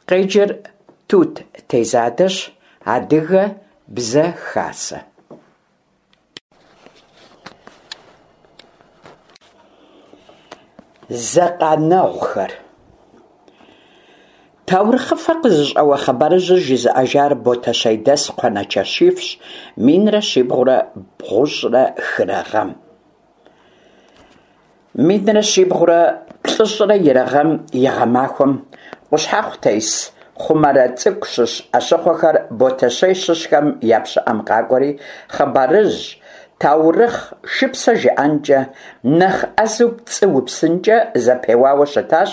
Къеджэр Тут Тезадэщ, Адыгэ бзэ хасэ. Зэкъанэгъухэр. Таурыхъыфэ къызыщӏэуэ хъыбарыжьыр жызыӏэжар Ботэщейдэс Кхъуэнэ Чэщифщ минрэ щибгъурэ бгъущӏрэ хырэ гъэм. Минрэ щибгъурэ плӏыщӏрэ ирэ гъэм и гъэмахуэм Къущхьэхъу тес Хъумэрэ цӏыкӏу щыщ ӏэщыхъуэхэр Ботэщей щыщхэм я пщыӏэм къакӏуэри, хъыбарыжь, таурыхъ, шыпсэ жыӏэнкӏэ, нэхъ ӏэзэу пцӏы упсынкӏэ зэпеуауэ щытащ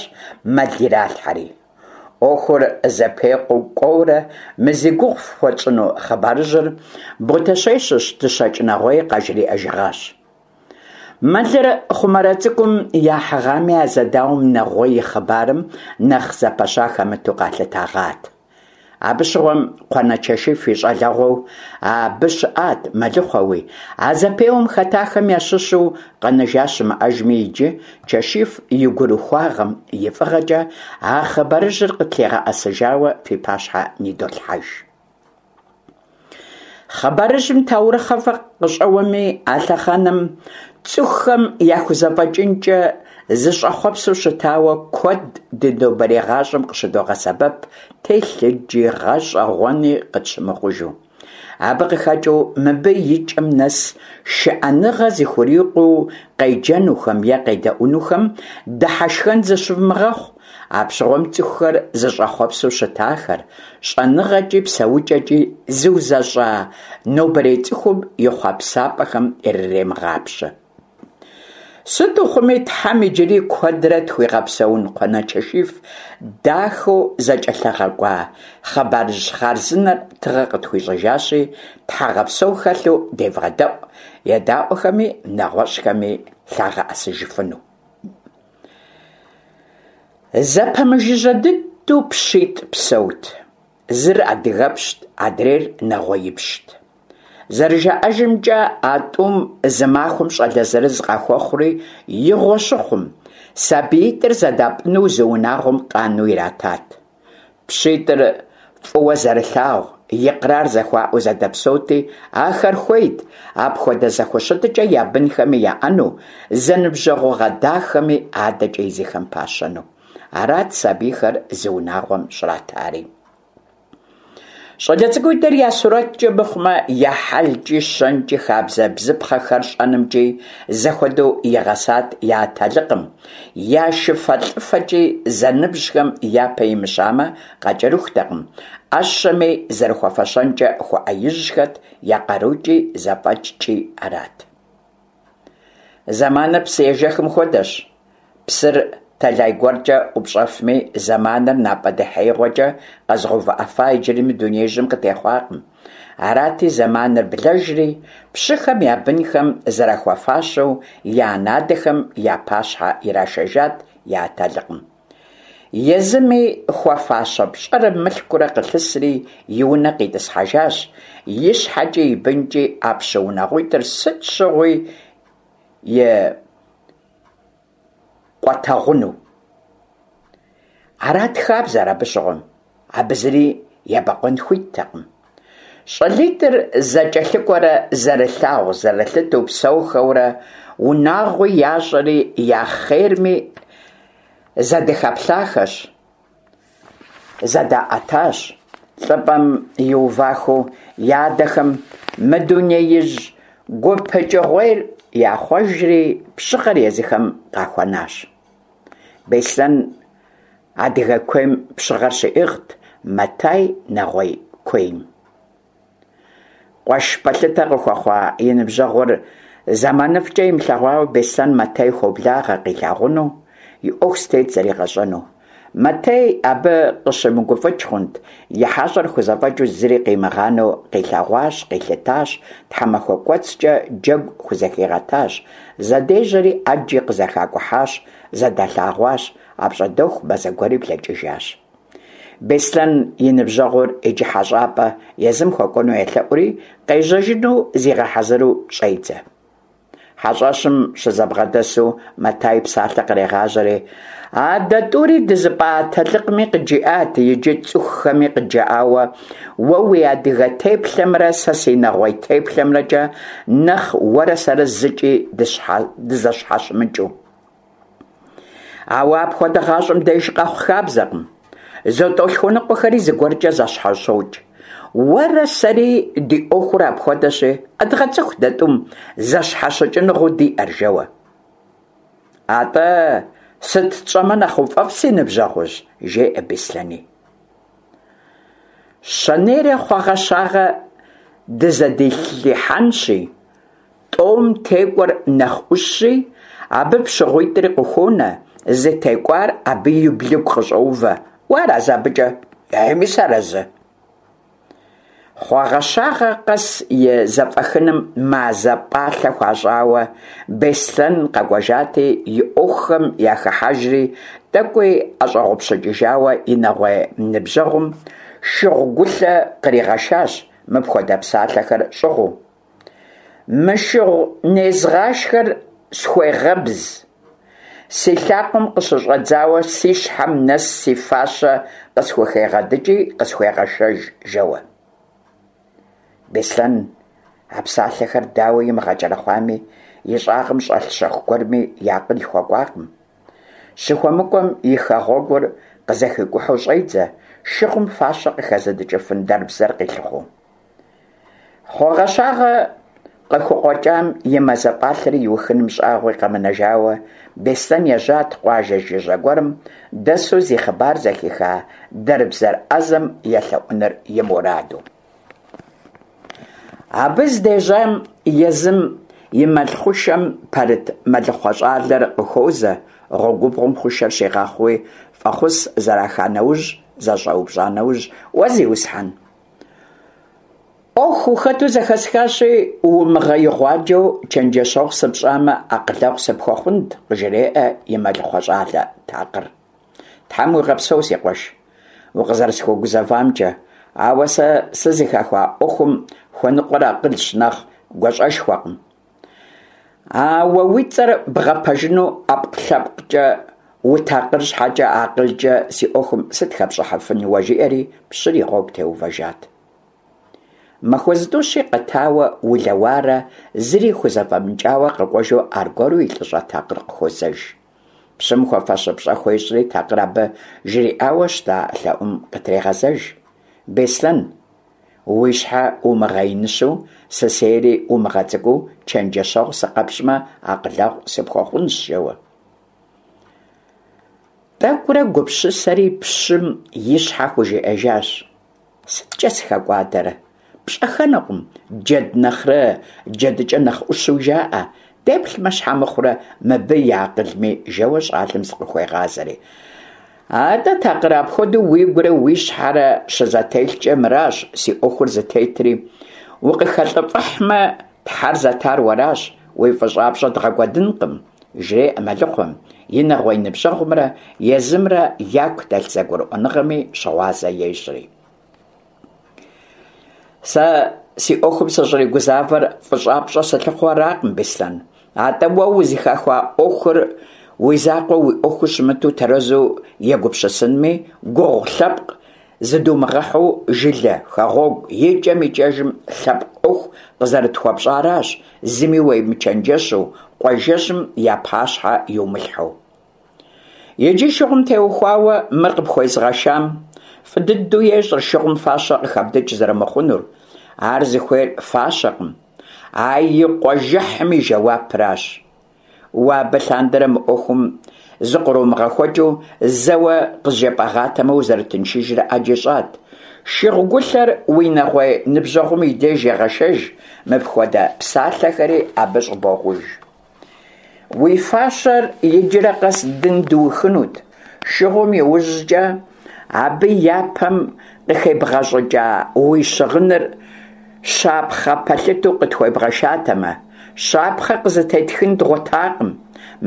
мэл иралъхьэри. Ӏуэхур зэпекъуу кӏуэурэ мы зи гугъу фхуэтщӏыну хъыбарыжьыр Ботэщей щыщ Дыщэкӏ Нэгъуей къажриӏэжыгъащ. Мэлыр Хъумэрэ цӏыкӏум яхьыгъами, а зэдауэм Нэгъуей и хъыбарым нэхъ зэпэща хэмыту къалъытэгъат. Абы щыгъуэм Кхъуэнэ Чэшиф и щӏалэгъуэу абы щыӏат мэлыхъуэуи, а зэпеуэм хэтахэм ящыщу къэнэжа щымыӏэжми иджы Чэшиф и гурыхуагъэм и фӏыгъэкӏэ а хъыбарыжьыр къытлъигъэӏэсыжауэ фи пащхьэ нидолъхьэж. Хъыбарыжьым таурыхъыфэ къыщӏэуэми, а лъэхъэнэм цӏыхухэм яхузэфӏэкӏынкӏэ зыщӏэхъуэпсу щытауэ куэд ди нобэрей гъащӏэм къыщыдогъэсэбэп телъыджи, гъэщӏэгъуэни къытщымыхъужу. Абы къыхэкӏыу мыбы и кӏэм нэс шыӏэныгъэ зыхурикъуу къеджэнухэм е къедэӏунухэм дыхьэшхэн зыщывмыгъэхъу, Апщыгъуэм цӏыхухэр зыщӏэхъуэпсу щытахэр, щӏэныгъэкӏи псэукӏэкӏи зыузэщӏа нобэрей цӏыхум и хъуэпсапӏэхэм ирыремыгъапщэ. Сыту хъуми, Тхьэм иджыри куэдрэ тхуигъэпсэун Кхъуэнэ Чэшиф дахэу зэкӏэлъыгъэкӏуа хъыбарыжь хъарзынэр тыгъэ къытхуищӏыжащи, тхьэгъэпсэу хэлъу девгъэдэӏу, едаӏуэхэми нэгъуэщӏхэми лъагъэӏэсыжыфыну. Зэпэмыжыжьэ дыдэу пщитӏ псэут. Зыр адыгэпщт, адрейр нэгъуеипщт. Зэрыжаӏэжымкӏэ, а тӏум зы махуэм щӏалэ зырыз къахуэхъури, игъуэ щыхъум, сабиитӏыр зэдапӏыну зы унагъуэм къану иратат. Пщитӏыр фӏыуэ зэрылъагъу, икърар зэхуаӏэу зэдэпсэути, ахэр хуейт апхуэдэ зэхущытыкӏэ я бынхэми яӏэну, зэныбжьэгъугъэ дахэми адэкӏэ езыхэм пащэну. Арат сабийхэр зы унагъуэм щӏратари. Щӏалэ цӏыкӏуитӏыр я сурэткӏэ мыхъумэ, я хьэлкӏи, щэнкӏи, хабзэ-бзыпхъэхэр щӏэнымкӏи зэхуэдэу игъэсат я атэлыкъым. Я шыфэлӏыфэкӏи зэныбжьхэм япэ имыщамэ, къакӏэрыхутэкъым, ӏэщэми зэрыхуэфэщэнкӏэ хуэӏэижьхэт, я къарукӏи зэфӏэкӏкӏи арат. Зэманыр псыежэхым хуэдэщ. Псыр тэлай гуэркӏэ ӏупщӏэфми, зэманыр напӏэдэхьеигъуэкӏэ къэзыгъэувыӏэфа иджыри мы дунеижьым къытехъуакъым. Арати, зэманыр блэжри, пщыхэм я бынхэм зэрахуэфащэу я анэ-адэхэм я пащхьэ ирашэжат я атэлыкъым. Езыми хуэфащэ пщӏэрэ мылъкурэ къылъысри, и унэ къитӏысхьэжащ, и щхьэкӏи и бынкӏи а пщы унагъуитӏыр сыт щыгъуи и къуэтэгъуну. Арат хабзэр абы щыгъуэм, абы зыри ебэкъуэн хуиттэкъым. Щӏалитӏыр зэкӏэлъыкӏуэрэ зэрылъагъу-зэрылъытэу псэухэурэ, унагъуи ящӏэри я хъерми зэдыхэплъахэщ, зэдаӏэтащ. Лӏыпӏэм иувахэу я адэхэм мы дунеижь гупыкӏыгъуейр яхъуэжри, пщыгъэр езыхэм къахуэнащ. Беслъэн адыгэ куейм пщыгъэр щиӏыгът, Мэтай нэгъуей куейм. Къуэш пэлъытэ къыхуэхъуа и ныбжьэгъур зэманыфӏкӏэ имылъэгъуауэ Беслъэн Мэтэй хуоблагъэ къилъагъуну, и ӏуэху зытет зэригъэщӏэну. Мэтэй абы къыщымыгуфӏыкӏ хъунт, и хьэщӏэр хузэфӏэкӏыу зыри къимыгъанэу къилъэгъуащ, къилъытащ, тхьэмахуэ кӏуэцӏкӏэ джэгу хузэхигъэтащ, зэдежьэри ӏэджи къызэхакӏухьащ, зэдалъэгъуащ, апщӏондэху мазэ гуэри блэкӏыжащ. Беслъэн и ныбжьэгъур иджы хьэщӏапӏэ езым хуэкӏуэну елъэӏури, къежьэжыну зигъэхьэзыру щӏедзэ. Хьэщӏэщым щызэбгъэдэсу Мэтай псалъэ кърегъажьэри, А дэ тӏури дызыпӏа атэлыкъми къыджиӏат, иджы цӏыхухэми къыджаӏауэ, уэ уи адыгэ теплъэмрэ сэ си нэгъуей теплъэмрэкӏэ нэхъ уэрэ сэрэ зыкӏи дызэщхьэщымыкӏыу. Ауэ апхуэдэ гъащӏэм деж къэхъу хабзэкъым. Зэтӏолъхуэныкъуэхэри зыгуэркӏэ зэщхьэщокӏ. Уэрэ сэри ди ӏуэхур апхуэдэщи, къэдгъэцӏыху дэ тӏум зэщхьэщыкӏыныгъэу диӏэр, жэуэ. Атӏэ, сыт тщӏэмэ нэхъ уфӏэфӏ, си ныбжьэгъужь? жеӏэ Беслъэни. Щэнейрэ хъуэгъэщагъэ дызэдилъхьэнщи, тӏэум текӏуэр нэхъ ӏущщи, абы пщыгъуитӏри къыхуонэ, зытекӏуар абы и блыгу къыщӏоувэ. Уарэзы абыкӏэ? Еми, сыарэзы. Хъуэгъэщагъэ къэс и зэфӏэхыным мазэ пӏалъэ хуащӏауэ, Беслъэн къэкӏуэжати, и ӏуэхухэм яхыхьэжри, тӏэкӏуи ӏэщӏэгъупщыкӏыжауэ и нэгъуей ныбжьэгъум шыгъу гулъэ къригъэшащ мыпхуэдэ псалъэхэр щӏыгъуу. Мы шыгъу незгъашхэр схуегъэбз. Си лъакъуэм къыщыщӏэдзауэ си щхьэм нэс си фащэ къысхухегъэдыкӏи къысхуегъэшэж, жэуэ. Беслъэн а псалъэхэр дауэ имыгъэкӏэрэхъуами, и щӏагъым щӏэлъ щэху гуэрми и акъыл хуэкӏуакъым. Щыхуэмыкӏуэм и хэгъуэгур къызэхикӏухьу щӏедзэ, шыгъум фащэ къыхэзыдыкӏыфын дэрбзэр къилъыхъуэу. Хъуэгъэщагъэ къыхукъуэкӏам и мазэ пӏалъэри иухыным щӏагъуи къэмынэжауэ, Беслъэн ежьат къуажэ жыжьэ гуэрым дэсу зи хъыбар зэхиха дэрбзэр ӏэзэм елъэӏуныр и мураду. Абы здежьам езым и мэл хъушэм пэрыт мэлыхъуэ щӏалэр къыхуозэ, гъуэгубгъум хъушэр щигъэхъууи, фӏэхъус зэраха нэужь, зэщӏэупщӏа нэужь, Уэ, зиусхьэн! Ӏуэху ухэту зэхэсхащи, умыгъэигъуаджэу чэнджэщэгъу сыпщӏамэ, акъылэгъу сыпхуэхъунт, къыжреӏэ и мэлыхъуэ щӏалэ такъыр. Тхьэм уигъэпсэу, си къуэш, укъызэрысхуэгузэвамкӏэ, ауэ сэ сызыхэхуа ӏуэхум хуэныкъуэр акъылщ нэхъ гуащӏэшхуэкъым. А уэ уи цӏэр бгъэпэжыну ӏэпкълъэпкъкӏэ утакъыр щхьэкӏэ акъылкӏэ си ӏуэхум сыт хэпщӏыхьыфын уэ, жиӏэри пщыр и гъуэгу теувэжат. Махуэ зытӏущи къэтауэ улэуарэ зыри хузэфӏэмыкӏауэ къэкӏуэжу аргуэру и лӏыщӏэ такъыр къыхуозэж. Пщым хуэфащэ пщӏэ хуещӏри такъыр абы жриӏауэ щыта лъэӏум къытрегъэзэж. Беслъэн, Уи щхьэ умыгъэиныщэу, сысейри умыгъэцӏыкӏуу чэнджэщэгъу сыкъэпщӏмэ, акъылэгъу сыпхуэхъунщ, жэуэ. Тӏэкӏурэ гупсысэри пщым и щхьэ хужиӏэжащ. Сыткӏэ сыхэкӏуадэрэ? Пщӏэхэнукъым, джэд нэхърэ джэдыкӏэ нэхъ ӏущу жаӏэ. Деплъмэ, щхьэ мыхъурэ мыбы и акъылми, жэуэ щӏалэм зыкъыхуегъазэри. Атӏэ, такъыр, апхуэдэу уигурэ уи щхьэрэ щызэтелъкӏэ мыращ си ӏуэхур зытетри, укъыхэлӏыфӏыхьмэ, Тхьэр зэтар уэращ, уи фӏыщӏапщӏэ дгъэкӏуэдынкъым, жреӏэ мэлыхъуэм, и нэгъуей ныбжьэгъумрэ езымрэ яку дэлъ зэгурыӏуэныгъэми щыгъуазэ ещӏри. Сэ си ӏуэхум сыщӏригузавэр фӏыщӏапщӏэ сылъыхъуэу аракъым, Беслъэн. Атӏэ уэ узыхэхуа ӏуэхур уи закъуэ уи ӏуэхуу щымыту тэрэзу егупсысынми, гугъу лъэпкъ зыдумыгъэхьу жылэ, хэгъуэгу, икӏэм-икӏэжым лъэпкъ ӏуэху къызэрытхуэпщӏаращ, зыми уемычэнджэщу, къуажэжьым я пащхьэ иумылъхьэу. Иджы шыгъум теухуауэ мыр къыпхуезгъэшам, фӏы дыдэу ещӏэр шыгъум фащэ къыхэбдыкӏ зэрымыхъунур. Ар зыхуейр фащэкъым, а и къуажэхьым и жэуапращ. Уэ абы лъандэрэ мы ӏуэхум зыкъромыгъэхуэкӏыу зэуэ къызжепӏэгъатэмэ узэрытыншыжрэ ӏэджи щӏат. Шыгъу гулъэр уи нэгъуей ныбжьэгъум и деж егъэшэж, мыпхуэдэ псалъэхэри абы щӏыбогъуж. Уи фащэр иджырэ къэс дын дыухынут, шыгъум иужькӏэ абы япэм къыхебгъэщӏыкӏа уи щыгъыныр щапхъэ пэлъытэу къытхуебгъэшатэмэ, щапхъэ къызытетхын дгъуэтакъым.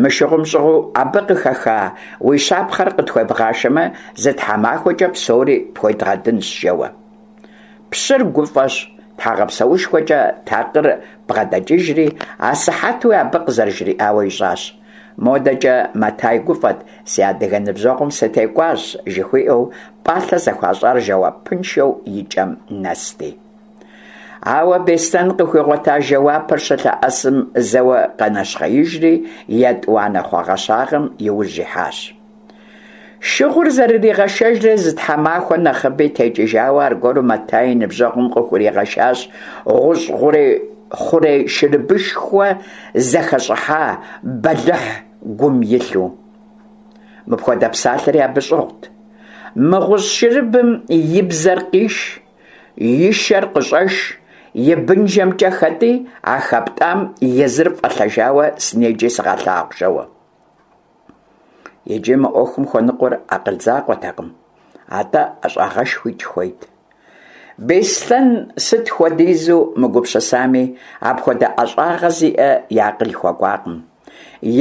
Мы шыгъум щӏыгъуу абы къыхэха уи щапхъэр къытхуебгъашэмэ, зы тхьэмахуэкӏэ псори пхуедгъэдынщ, жэуэ. Пщыр гуфӏэщ. Тхьэгъэпсэушхуэкӏэ такъыр бгъэдэкӏыжри, асыхьэтуи абы къызэрыжриӏауэ ищӏащ. Модэкӏэ Мэтай гуфӏэт, си адыгэ ныбжьэгъум сытекӏуащ, жыхуиӏэу, пӏалъэ зэхуащӏар жэуапыншэу и кӏэм нэсти. Ауэ Беслъэн къыхуигъуэта жэуапыр щылъэӏэсым зэуэ къэнэщхъеижри, етӏуанэ хъуэгъэщагъэм и ужь ихьащ. Шыгъур зэрыригъэшэжрэ зы тхьэмахуэ нэхъыби текӏыжауэ аргуэру Мэтай и ныбжьэгъум къыхуригъэшащ гъущӏ хъурей шырыбышхуэ зэхэщӏыхьа, бэлыхь гум илъу. Мыпхуэдэ псалъэри абы щӏыгъут. Мы гъущӏ шырыбым и бзэр къиш, и шэр къыщӏэш, и бынжэмкӏэ хэтӏи, а хэптӏам езыр фӏэлъэжауэ сынеджи сыгъэлъагъу, жэуэ. Иджы мы ӏуэхум хуэныкъуэр акъыл закъуэтэкъым, атӏэ ӏэщӏагъэшхуикӏ хуейт. Беслъэн сыт хуэдизу мыгупсысами, апхуэдэ ӏэщӏагъэ зиӏэ и акъыл хуэкӏуакъым.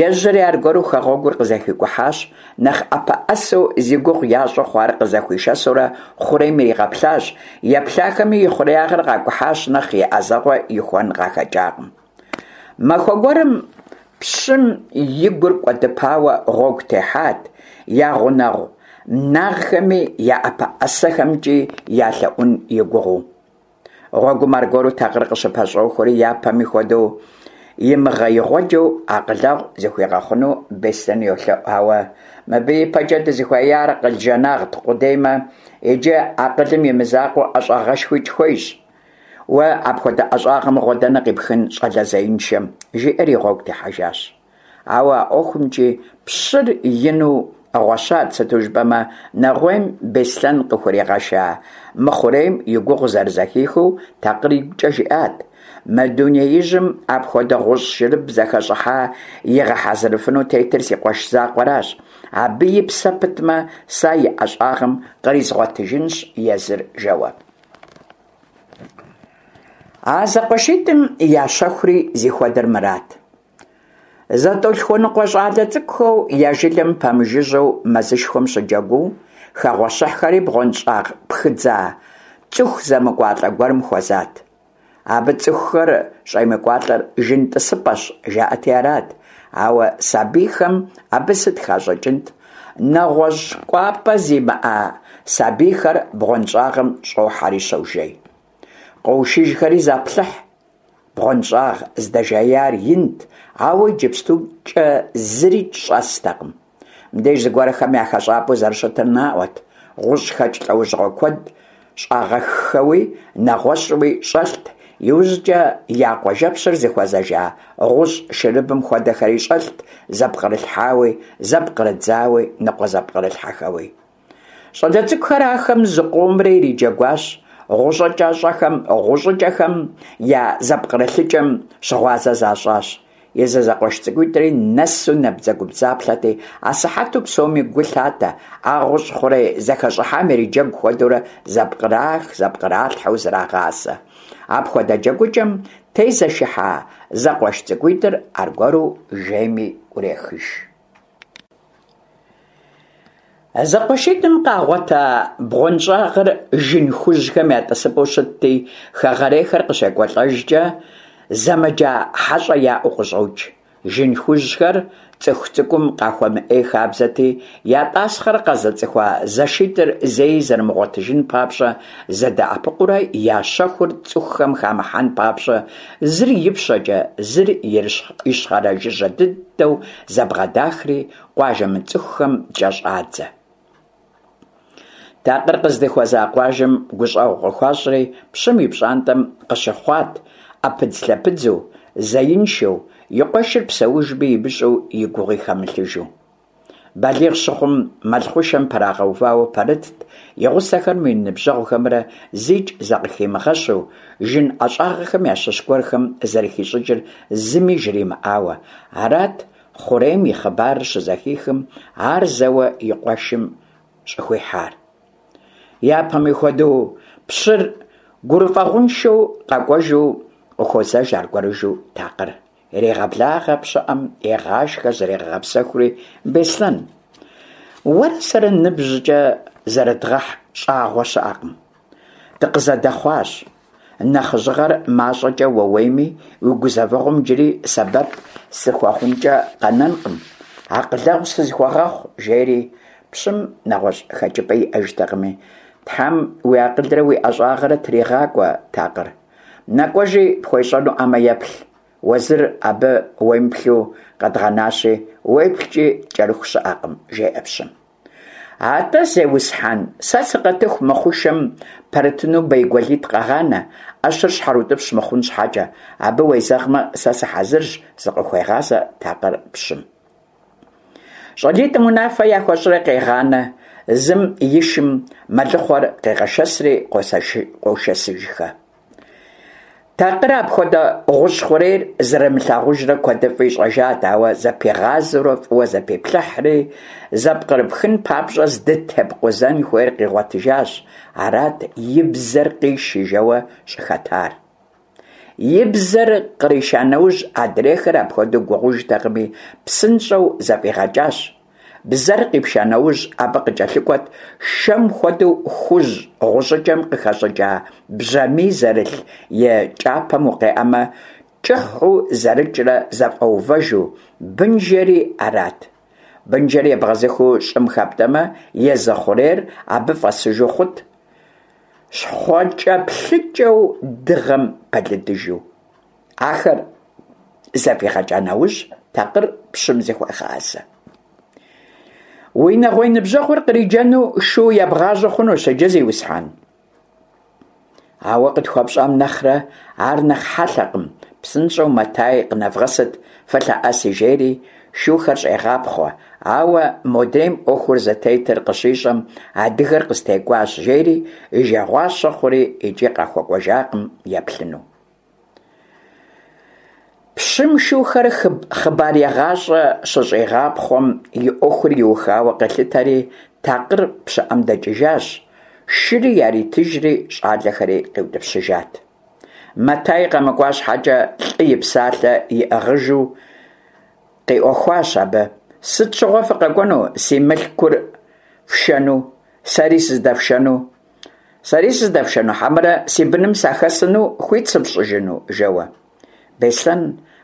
Ежьэри аргуэру хэгъуэгур къызэхикӏухьащ, нэхъ ӏэпэӏэсэу зи гугъу ящӏу хъуар къызэхуишэсурэ хъурейм иригъэплъащ, еплъахэми и хъуреягъыр къакӏухьащ, нэхъ и ӏэзэгъуэ ихуэн къахэкӏакъым. Махуэ гуэрым пщым и гур кӏуэдыпауэ гъуэгу техьат, я гъунэгъу нагъхэми я ӏэпэӏэсэхэмкӏи ялъэӏун и гугъэу. Гъуэгум аргуэру такъыр къыщыпэщӏохуэри, япэми хуэдэу имыгъэигъуэджэу акъылэгъу зыхуигъэхъуну Беслъэн йолъэӏу, ауэ мыбы ипэкӏэ дызыхуеяр акъыл жанагът къудеймэ, иджы акъылым и мызакъуэу ӏэщӏагъэшхуикӏ хуейщ. Уэ апхуэдэ ӏэщӏагъэ мыгъуэ дэнэ къипхын щӏалэ зеиншэм, жиӏэри гъуэгу техьэжащ. Ауэ а ӏуэхумкӏи пщыр ину гъуэщат, сыту жыпӏэмэ, нэгъуейм Беслъэн къыхуригъэша мы хъурейм и гугъу зэрызэхихыу такъыр игукӏэ жиӏат, Мы дунеижьым апхуэдэ гъущӏ шырыб зэхэщӏыхьа игъэхьэзырыфыну тетыр си къуэш закъуэращ. Абы и псэ пытмэ, сэ и ӏэщӏагъэм къризгъуэтыжынщ езыр, жэуэ. А зэкъуэшитӏым я щэхури зихуэдэр мырат. Зэтӏолъхуэныкъуэ щӏалэ цӏыкӏухэу я жылэм пэмыжыжьэу мэзышхуэм щыджэгуу, хэгъуэщыхьхэри бгъуэнщӏагъ пхыдза цӏыху зэмыкӏуалӏэ гуэрым хуэзат. Абы цӏыхухэр щӏемыкӏуалӏэр жын тӏысыпӏэщ, жаӏэти арат. Ауэ сабийхэм абы сыт хащӏыкӏынт? Нэгъуэщӏ кӏуапӏэ зимыӏэ сабийхэр бгъуэнщӏагъым щӏохьэри щожей. Къоушыжхэри заплъыхь. Бгъуэнщӏагъ здэжеяр инт, ауэ иджыпстукӏэ зырикӏ щӏэстэкъым. Мыбдеж зыгуэрхэм я хэщӏапӏэу зэрыщытыр наӏуэт, гъущӏхэкӏ лӏэужьыгъуэ куэд щӏагъэххэуи, нэгъуэщӏуи щӏэлът, иужькӏэ я къуажэпщыр зыхуэзэжа гъущӏ шырыбым хуэдэхэри щӏэлът, зэпкърылъхьауи, зэпкърыдзауи, ныкъуэзэпкърылъхьэхэуи. Щӏалэ цӏыкӏухэр ахэм зыкъомрэ ириджэгуащ, гъущӏыкӏэхэм я зэпкърылъыкӏэм щыгъуазэ защӏащ. Езы зэкъуэш цӏыкӏуитӏри нэсу набдзэгубдзаплъэти, асыхьэту псоми гу лъатэ, а гъущӏ хъурей зэхэщӏыхьам ириджэгу хуэдэурэ зэпкърах, зэпкъралъхьэу зрагъасэ. Апхуэдэ джэгукӏэм тезэшыхьа зэкъуэш цӏыкӏуитӏыр аргуэру жейми ӏурехыж. Зэкъуэшитӏым къагъуэта бгъуэнщӏагъыр жын хужьхэм я тӏысыпӏэу щытти, хэгъэрейхэр къыщекӏуэлӏэжкӏэ, зэмыджа хьэщӏэ яӏэу къыщӏокӏ. Жын хужьхэр цӏыху цӏыкӏум къахуэмыӏей хабзэти, я тӏасхъэр къэзыцӏыхуа зэшитӏыр зэи зэрымыгъуэтыжын папщӏэ, зэдэӏэпыкъуурэ я щэхур цӏыхухэм хамыхьэн папщӏэ, зыр ипщэкӏэ, зыр ищхъэрэ жыжьэ дыдэу зэбгъэдахри, къуажэ мыцӏыхухэм кӏэщӏадзэ. Такъыр къыздыхуэза къуажэм гущӏэгъу къыхуащӏри, пщым и пщӏантӏэм къыщыхъуат, ӏэпыдзлъэпыдзу, зеиншэу, и къуэшыр псэужми имыщӏэу и гугъи хэмылъыжу. Балигъ щыхъум, мэл хъушэм пэрагъэувауэ пэрытт, и гъусэхэмрэ и ныбжьэгъухэмрэ зикӏ закъыхимыгъэщу, жын ӏэщӏагъэхэм ящыщ гуэрхэм зэрыхищӏыкӏыр зыми жримыӏауэ. Арат Хъурейм и хъыбарыр щызэхихым, ар зэуэ и къуэшым щӏыхуихьар. Япэми хуэдэу, пщыр гурыфӏэгъуншэу къэкӏуэжу къыхуозэж аргуэрыжу такъыр. Ирегъэблагъэ пщыӏэм, егъашхэ, зрегъэгъэпсэхури, Беслъэн, уэрэ сэрэ ныбжькӏэ зэрыдгъэхь щӏагъуэ щыӏэкъым. Дыкъызэдэхъуащ. Нэхъыжьыгъэр мащӏэкӏэ уэуейми, уи гузэвэгъуэм иджыри сэбэп сыхуэхъункӏэ къэнэнкъым. Акъылэгъу сызыхуэгъэхъу, жери, пщым нэгъуэщӏ хэкӏыпӏэ иӏэжтэкъыми, Тхьэм уи акъылрэ уи ӏэщӏагъэрэ тригъакӏуэ, Такъыр. Нэкӏуэжи, пхуещӏэнуӏамэ еплъ. Уэзыр абы уемыплъу къэдгъэнащи, уеплъкӏи кӏэрыху щыӏэкъым, жеӏэ пщым. Атӏэ, зеусхьэн, сэ сыкъэтыху мы хъушэм пэрытыну бейгуэлитӏ къэгъанэ, ӏэщыр щхьэрыутӏыпщ мыхъун щхьэкӏэ. Абы уезэгъмэ, сэ сыхьэзырщ, зыкъыхуегъазэ Такъыр пщым. Щӏалитӏым унафэ яхуэщӏри къегъанэ, зым и шым мэлыхъуэр къегъэшэсри къошэсыжхэ. Такъыр апхуэдэ гъущӏ хъурейр зэрымылъагъужрэ куэдыфӏи щӏэжат, ауэ зэпигъазэурэ фӏыуэ зэпиплъыхьри, зэпкърыпхын папщӏэ здытепкъузэн хуейр къигъуэтыжащ, арат и бзэр къиши жэуэ щӏыхэтар. И бзэр къриша нэужь, адрейхэр апхуэдэу гугъужтэкъыми, псынщӏэу зэфӏигъэкӏащ. Бзэр къипша нэужь, абы къыкӏэлъыкӏуэт шэм хуэдэу хужь гъущӏыкӏэм къыхэщӏыкӏа бжьамий зэрылъ и кӏапэм укъеӏэмэ, кӏыхьу зэрыкӏрэ зэфӏэувэжу, бынжэри арат. Бынжэр ебгъэзыхыу щӏым хэптӏэмэ, езы хъурейр абы фӏэсыжу хъут, щхъуэкӏэплъыкӏэу дыгъэм пэлыдыжу. Ахэр зэфӏигъэкӏа нэужь, Такъыр пщым зыхуегъазэ. Уи нэгъуей ныбжьэгъур къриджэну шу ебгъажьэ хъунущ иджы, зиусхьэн. Ауэ къытхуэпщӏам нэхърэ ар нэхъ хьэлъэкъым, псынщӏэу Мэтай къынэвгъэсыт, фылъэӏэси, жери шухэр щӏегъапхъуэ, ауэ модрейм ӏуэхур зытетыр къыщищӏэм, адыгэр къыстекӏуащ, жери и жагъуащэ хъури икӏи къахуэкӏуэжакъым еплъыну. Пщым шухэр хъыбарегъащӏэ щыщӏигъапхъуэм и ӏуэхур иухауэ къилъытэри, Такъыр пщыӏэм дэкӏыжащ, шыри яритыжри щӏалэхэри къиутӏыпщыжат. Мэтай къэмыкӏуа щхьэкӏэ лӏы и псалъэ иӏыгъыжу къиӏуэхуащ абы. Сыт щыгъуэ фыкъэкӏуэну си мылъкур фшэну, сэри сыздэфшэну? Сэри сыздэфшэну хьэмэрэ си быным сахэсыну хуит сыфщӏыжыну? жэуэ. Беслъэн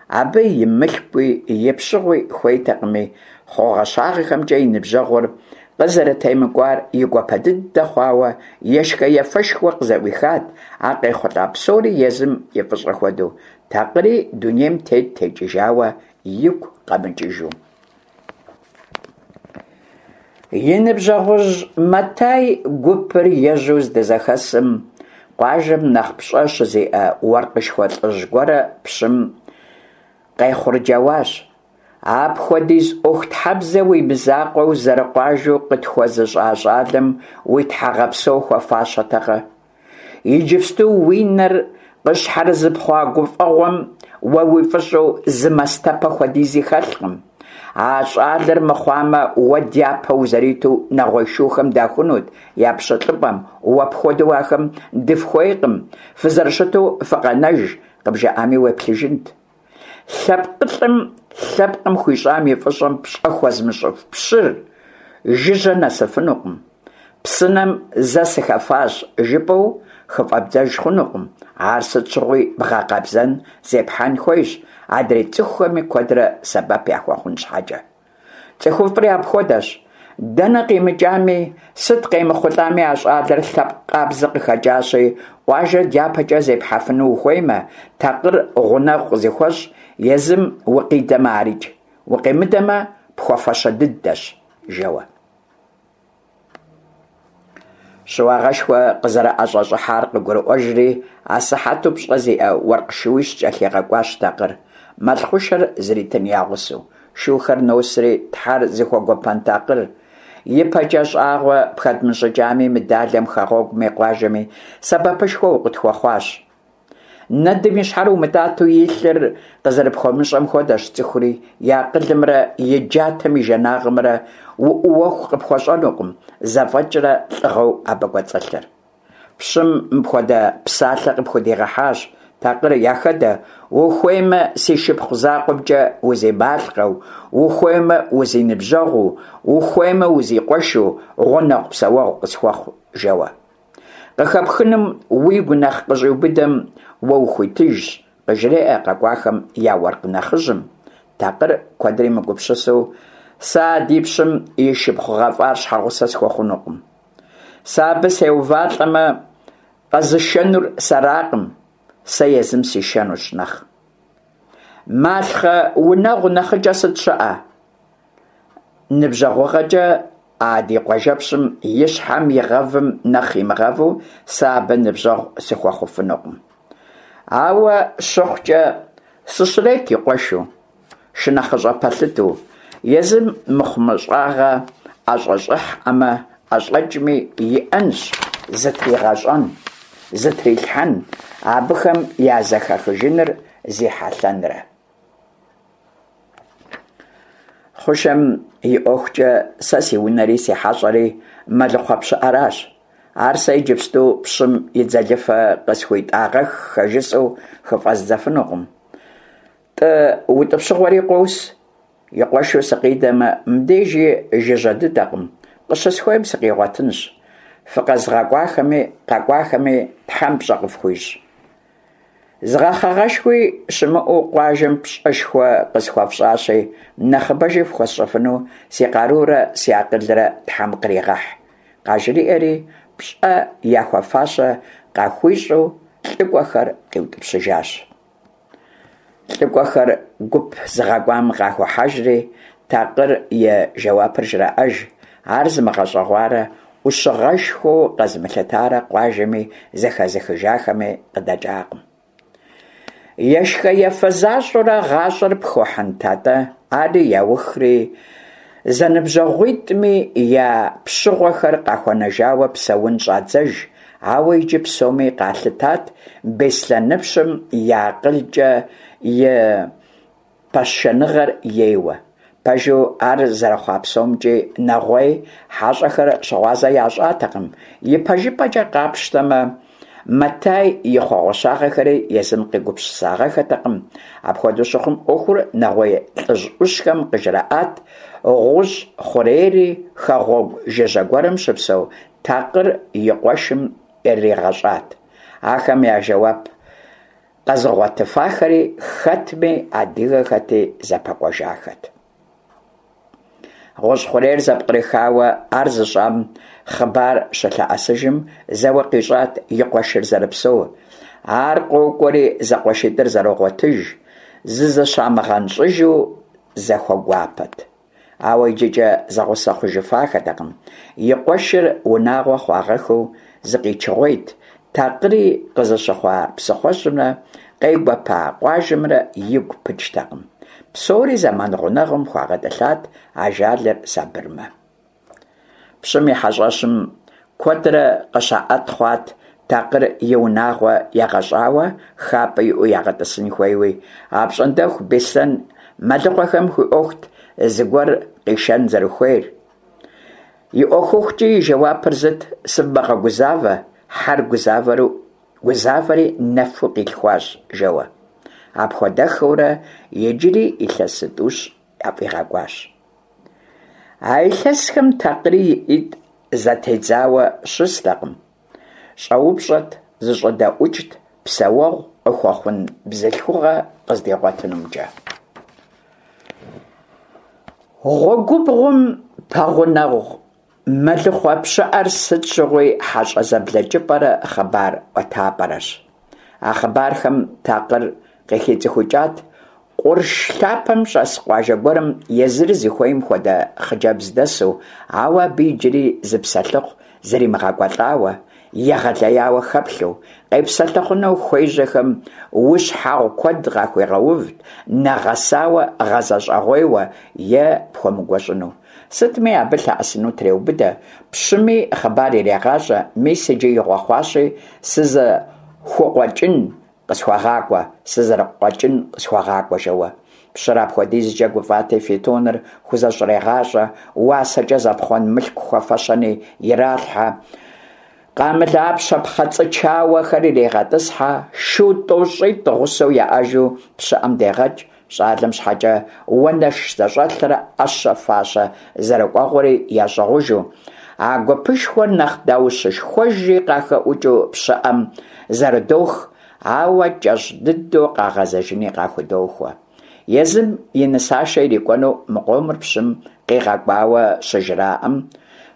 абы и мылъкуи и пщыгъуи хуейтэкъыми, хъугъэщагъэхэмкӏэ и ныбжьэгъур къызэрытемыкӏуар и гуапэ дыдэ хъуауэ, ешхэ-ефэшхуэ къызэӏуихат, а къехъулӏа псори езым и фӏыщӏэ хуэдэу, Такъыри дунейм тет текӏыжауэ игу къэмыкӏыжу. И ныбжьэгъужь Мэтай гупыр ежьэу здызэхэсым, къуажэм нэхъ пщӏэ щызиӏэ уэркъышхуэ лӏыжь гуэрэ пщым къехъурджэуащ. Апхуэдиз ӏуэхутхьэбзэ уи мызакъуэу зэрыкъуажэу къытхуэзыщӏа щӏалэм уи тхьэгъэпсэу хуэфащэтэкъэ? Иджыпсту уи нэр къыщхьэрызыпхъуа гуфӏэгъуэм уэ уи фӏыщӏэу зы мастэпэ хуэдизи хэлъкъым. А щӏалэр мыхъуамэ, уэ дяпэ узэриту нэгъуей шухэм дахунут я пщылӏыпӏэм, уэ пхуэдэу ахэм дыфхуейкъым, фызэрыщыту фыкъэнэж, къыбжаӏами уеплъыжынт. Лъэпкъылӏым лъэпкъым хуищӏам и фӏыщӏэм пщӏэ хуэзмыщӏыф пщыр жыжьэ нэсыфынукъым. Псынэм зэ сыхэфащ жыпӏэу хыфӏэбдзэж хъунукъым, ар сыт щыгъуи бгъэкъэбзэн зепхьэн хуейщ, адрей цӏыхухэми куэдрэ сэбэп яхуэхъун щхьэкӏэ. Цӏыхуфӏри апхуэдэщ. Дэнэ къимыкӏами, сыт къемыхъулӏами а щӏалэр лъэпкъ къабзэ къыхэкӏащи, къуажэр дяпэкӏэ зепхьэфыну ухуеймэ, Такъыр гъунэгъу къызыхуэщӏ, езым укъидэмэ арикӏ, укъимыдэмэ, пхуэфащэ дыдэщ, жэуэ. Щыуагъэшхуэ къызэрыӏэщӏэщӏыхьар къыгурыӏуэжри, асыхьэту пщӏэ зиӏэ уэркъ шууищ кӏэлъигъэкӏуащ Такъыр, мэл хъушэр зритын я гъусэу. Шухэр носри, Тхьэр зыхуэгуэпэн Такъыр, ипэкӏэ щӏагъуэ пхэдмыщӏыкӏами, мы далэм, хэгъуэгуми, къуажэми сэбэпышхуэ укъытхуэхъуащ. Нэдым и щхьэр умытӏатэу илъыр къызэрыпхуэмыщӏэм хуэдэщ цӏыхури, и акъылымрэ и джатэм и жанагъымрэ уӏууэху къыпхуэщӏэнукъым зэфӏэкӏрэ лӏыгъэу абы кӏуэцӏылъыр. Пщым мыпхуэдэ псалъэ къыпхудигъэхьащ, Такъыр, яхэдэ, ухуеймэ, си шыпхъу закъуэмкӏэ узималъкъэу, ухуеймэ, узиныбжьэгъуу, ухуеймэ, узикъуэшу, гъунэгъу-псэуэгъу къысхуэхъу, жэуэ. Къыхэпхынум уигу нэхъ къыщӏиубыдэм уэ ухуитыжщ, къыжреӏэ къэкӏуахэм я уэркъ нэхъыжьым. Такъыр куэдри мыгупсысэу, Сэ а ди пщым и шыпхъу гъэфӏар щхьэгъусэ схуэхъунукъым. Сэ абы сеувалӏэмэ, къэзышэнур сэракъым, сэ езым сишэнущ нэхъ. Малъхъэ унэгъу нэхъыкӏэ сыт щыӏэ? Ныбжьэгъугъэкӏэ а ди къуажэпщым и щхьэм игъэвым нэхъ имыгъэву сэ абы ныбжьэгъу сыхуэхъуфынукъым. Ауэ щыхъукӏэ, сыщрет и къуэшу, шынэхъыщӏэ пэлъытэу, езым мыхъумыщӏагъэ ӏэщӏэщӏыхьӏэмэ, ӏэщӏэкӏми иӏэнщ зытригъэщӏэн, зытрилъхьэн, абыхэм я зэхэхыжыныр зи хьэлъэнрэ. Хъушэм и ӏуэхукӏэ сэ си унэри си хьэщӏэри мэлыхъуэ пщыӏэращ. Ар сэ иджыпсту пщым и дзэлыфэ къысхуитӏагъэххэ жысӏэу хыфӏэздзэфынукъым. Тӏы утӏыпщыгъуэри къос, и къуэшу сыкъидэмэ, мыбдежи жыжьэ дыдэкъым, къыщысхуейм сыкъигъуэтынщ. Фыкъэзыгъэкӏуахэми къэкӏуахэми Тхьэм пщӏэ къыфхуищӏ. Зы гъэхъэгъэшхуи щымыӏэу къуажэм пщӏэшхуэ къысхуэфщӏащи, нэхъыбэжи фхуэсщӏэфыну си къарурэ си акъылрэ Тхьэм къригъэхь, къажриӏэри, пщӏэ яхуэфащэ къахуищӏу лӏыкӏуэхэр къиутӏыпщыжащ. Лӏыкӏуэхэр гуп зыгъэкӏуам къахохьэжри, Такъыр и жэуапыр жраӏэж, ар зымыгъэщӏэгъуарэ ӏущыгъэшхуэу къэзымылъытарэ къуажэми зэхэзыхыжахэми къыдэкӏакъым. Ешхэ-ефэ защӏэурэ гъащӏэр пхуэхьынт атӏэ, ари яухри, зэныбжьэгъуитӏми я пщыгъуэхэр къахуэнэжауэ псэун щӏадзэж, ауэ иджы псоми къалъытат Беслъэныпщым и акъылкӏэ и пашэныгъэр ейуэ. Пэжу, ар зэрыхъуа псомкӏи нэгъуей хьэщӏэхэр щыгъуазэ ящӏатэкъым. Ипэжыпӏэкӏэ къапщтэмэ, Мэтай и хъуэгъуэщагъэхэри езым къигупсысагъэххэтэкъым. Апхуэдэу щыхъум, ӏуэхур нэгъуей лӏыжь ӏущхэм къыжраӏат, гъущӏ хъурейри хэгъуэгу жыжьэ гуэрым щыпсэу Такъыр и къуэшым иригъэщӏат. Ахэм я жэуап къэзыгъуэтыфахэри хэтми адыгэхэти зэпэкӏуэжахэт. Гъущӏ хъурейр зэпкърыхауэ ар зыщӏам хъыбар щылъэӏэсыжым, зэуэ къищӏат и къуэшыр зэрыпсэур. Ар къокӏуэри зэкъуэшитӏыр зэрогъуэтыж, зызыщамыгъэнщӏыжу зэхуэгуапэт. Ауэ иджыкӏэ зэгъусэ хъужыфахэтэкъым. И къуэшыр унагъуэ хъуагъэххэу зыкъичыгъуейт, Такъыри къызыщыхъуа псыхъуэжьымрэ къегуэпа къуажэмрэ игу пыкӏтэкъым. Псори зэман гъунэгъум хуагъэтӏылъат ажалыр сабырмэ. Пщым и хьэщӏэщым куэдрэ къыщаӏэт хъуат Такъыр и унагъуэ егъэщӏауэ хапӏэ иӏэу ягъэтӏысын хуейуи. Апщӏондэху Беслъэн мэлыхъуэхэм хуиӏуэхут зыгуэр къишэн зэрыхуейр. И ӏуэхухукӏи и жэуапыр зыт: сывмыгъэгузавэ, хьэр гузавэри нэфу къилъхуащ, жэуэ. Апхуэдэххэурэ иджыри илъэс зытӏущ яфӏигъэкӏуащ. А илъэсхэм Такъыри и ӏитӏ зэтедзауэ щыстэкъым. Щӏэупщӏэт, зыщӏэдэӏукӏт псэуэгъу къыхуэхъун бзылъхугъэ къыздигъуэтынумкӏэ. Гъуэгубгъум пэгъунэгъу мэлыхъуэ пщыӏэр сыт щыгъуи хьэщӏэ зэблэкӏыпӏэрэ хъыбар ӏуэтапӏэрэщ. А хъыбархэм Такъыр къыхицӏыхукӏат къурш лъапэм щӏэс къуажэ гуэрым езыр зыхуейм хуэдэ хъыджэбз дэсу, ауэ абы иджыри зы псэлъыхъу зримыгъэкӏуэлӏауэ, егъэлеяуэ хэплъэу, къепсэлъыхъуну хуежьэхэм ущхьэгъу куэд къахуигъэувт, нэгъэсауэ гъэзэщӏэгъуейуэ е пхуэмыгуэщӏыну. Сытми, абы лъэӏэсыну треубыдэ, пщыми хъыбар ирегъащӏэ, мис иджы игъуэ хъуащи, сызыхукъуэкӏын къысхуэгъакӏуэ, сызэрыкъуэкӏын къысхуэгъакӏуэ, жэуэ. Пщыр апхуэдизкӏэ гуфӏати, фитоныр хузэщӏрегъащӏэ, уасэкӏэ зэпхъуэн мылъку хуэфэщэни иралъхьэ, къамылапщэ пхъэцӏычауэхэр ирегъэтӏысхьэ, шу тӏощӏитӏ гъусэу яӏэжу пщыӏэм дегъэкӏ, щӏалэм щхьэкӏэ уанэш зэщӏэлърэ ӏэщэ-фащэ зэрыкӏуэгъуэри ящӏыгъужу. А гупышхуэр нэхъ даущышхуэжи къахэӏукӏыу пщыӏэм зэрыдох, ауэ кӏэщӏ дыдэу къагъэзэжыни къахудохуэ. Езым и нысашэ ирикӏуэну мы къомыр пщым къигъэкӏуауэ щыжраӏэм,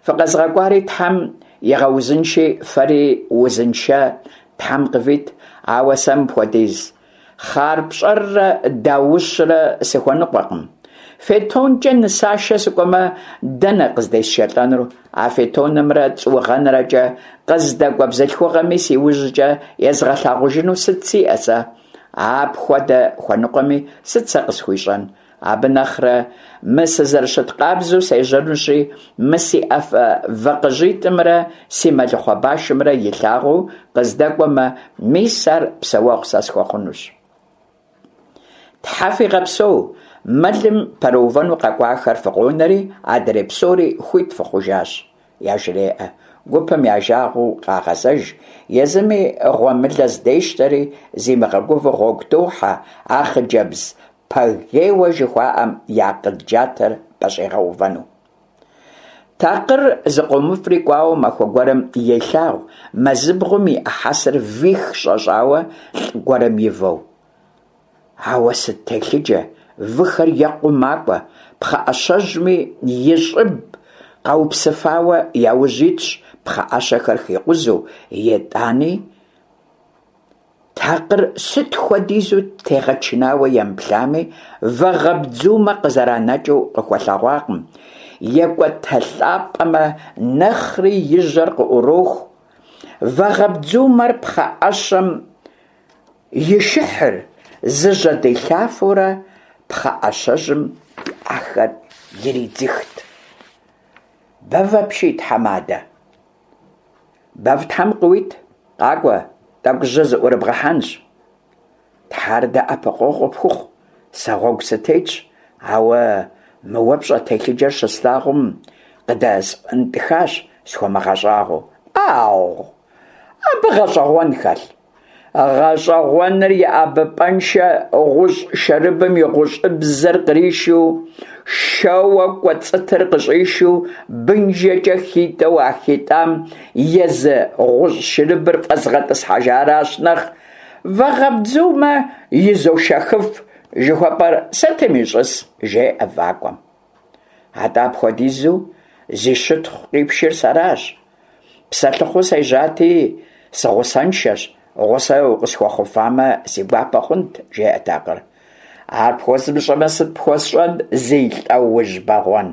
Фыкъэзгъэкӏуари Тхьэм игъэузынши, фэри узыншэ Тхьэм къывит, ауэ сэ мыпхуэдиз хъарпщӏэррэ даущрэ сыхуэныкъуэкъым. Фетонкӏэ нысашэ сыкӏуэмэ, дэнэ къыздесшэлӏэнур? А фетонымрэ цӏугъэнэрэкӏэ къыздэкӏуэ бзылъхугъэми си ужькӏэ езгъэлъагъужыну сыт сиӏэ сэ? Апхуэдэ хуэныкъуэми сыт сэ къысхуищӏэн? Абы нэхърэ мы сызэрыщыт къабзэу сежьэнущи, мы си ӏэфэ вакъыжьитӏымрэ си мэлыхъуэ башымрэ илъагъуу къыздэкӏуэмэ, мис ар псэуэгъу сэ схуэхъунущ. Тхьэ фигъэпсэу, мэлым пэрыувэну къэкӏуахэр фыкъонэри, адрей псори хуит фыхъужащ. Яжреӏэ, гупым я жагъуэу къагъэзэж, езыми гъуэмылэ здещтэри, зимыгъэгувэу гъуэгу тохьэ, а хъыджэбз пэгейуэ жыхуаӏэм и акъыл джатэр пэщӏигъэувэну. Такъыр зыкъомыфӏри кӏуауэ махуэ гуэрым елъагъу мэзыбгъум иӏэ хьэсэр вих щӏэщӏауэ лӏы гуэрым ивэу. Ауэ сыт телъыджэ, выхэр екъуу макӏуэ, пхъэӏэщэжьми и щӏыб къэупсыфауэ яужь итщ пхъэӏэщэхэр хикъузэу, итӏани такъыр сыт хуэдизу тегъэчынауэ емыплъами, вагъэбдзумэ къызэранэкӏыу къыхуэлъэгъуакъым, екӏуэтэлӏапӏэмэ, нэхъри и жьэр къыӏуроху. Вагъэбдзумэр пхъэӏэщэм И шыхьыр зыжьэдилъафэурэ пхъэӏэщэжьым и ӏэхэр иридзыхт. Бэв апщий, тхьэмадэ. Бэв тхьэм къыуит, къакӏуэ, тӏэкӏу жьы зыӏурыбгъэхьэнщ. Тхьэр дэӏэпыкъуэгъу къыпхухъу, сэ гъуэгу сытетщ, ауэ мы уэ пщӏэ телъыджэр щыслъагъум къыдэсӏуэнтӏыхащ схуэмыгъэщӏагъуэу. ӏагъу! Абы гъэщӏэгъуэн хэлъ? Гъэщӏэгъуэныр и ӏэбыпӏэншэ гъущӏ шэрыбым и гъущӏыбзэр къришу, шэуэ кӏуэцӏытыр къыщӏишу, бынжэкӏэ хитӏэу а хитӏам езы гъущӏ шырыбыр фӏэзгъэтӏысхьэжаращ нэхъ вагъэбдзумэ изошэхыф жыхуэпӏэр сытым ищӏыс, жеӏэ вакӏуэм. Атӏэ апхуэдизу зи щытхъу къипшыр сэращ. Псэлъыхъуу сежьати, сыгъусэншэщ, гъусэ укъысхуэхъуфамэ, си гуапэ хъунт, жеӏэ такъыр. Ар пхуэзмыщӏэмэ, сыт пхуэсщӏэн, зи лӏэужь бэгъуэн?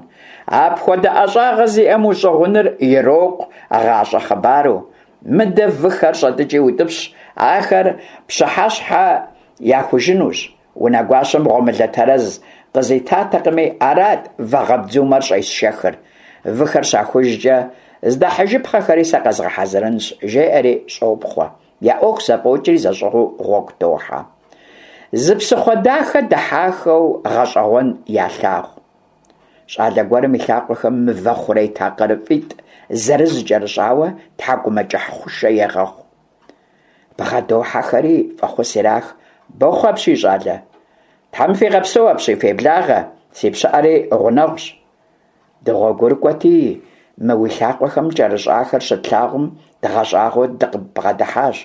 Апхуэдэ ӏэщӏагъэ зиӏэм ущӏыгъуныр ирокъу гъащӏэ хъыбару. Мыдэ выхэр щӏэтӏыкӏи утӏыпщ, ахэр пщыхьэщхьэ яхужынущ. Унэгуащэм гъуэмылэ тэрэз къызитатэкъыми, арат вагъэбдзумэр щӏесшэхыр. Выхэр щахужкӏэ, здахьыжыпхъэхэри сэ къэзгъэхьэзырынщ, жеӏэри щӏопхъуэ. Я ӏуэху зэфӏокӏри зэщӏыгъуу гъуэгу тохьэ. Зы псыхъуэ дахэ дыхьахэу гъэщӏэгъуэн ялъагъу. Щӏалэ гуэрым и лъакъуэхэм мывэ хъурей такъырыфӏитӏ зырыз кӏэрыщӏауэ тхьэкӏумэкӏыхь хъушэ егъэхъу. Бгъэдохьэхэри фӏэхъус ирах. Бохъу апщий, щӏалэ. Тхьэм фигъэпсэу апщий, феблагъэ, си пщыӏэри гъунэгъущ. Дыгъуэгурыкӏуэти, мы уи лъакъуэхэм кӏэрыщӏахэр щытлъагъум, дгъэщӏагъуэу дыкъыббгъэдыхьащ.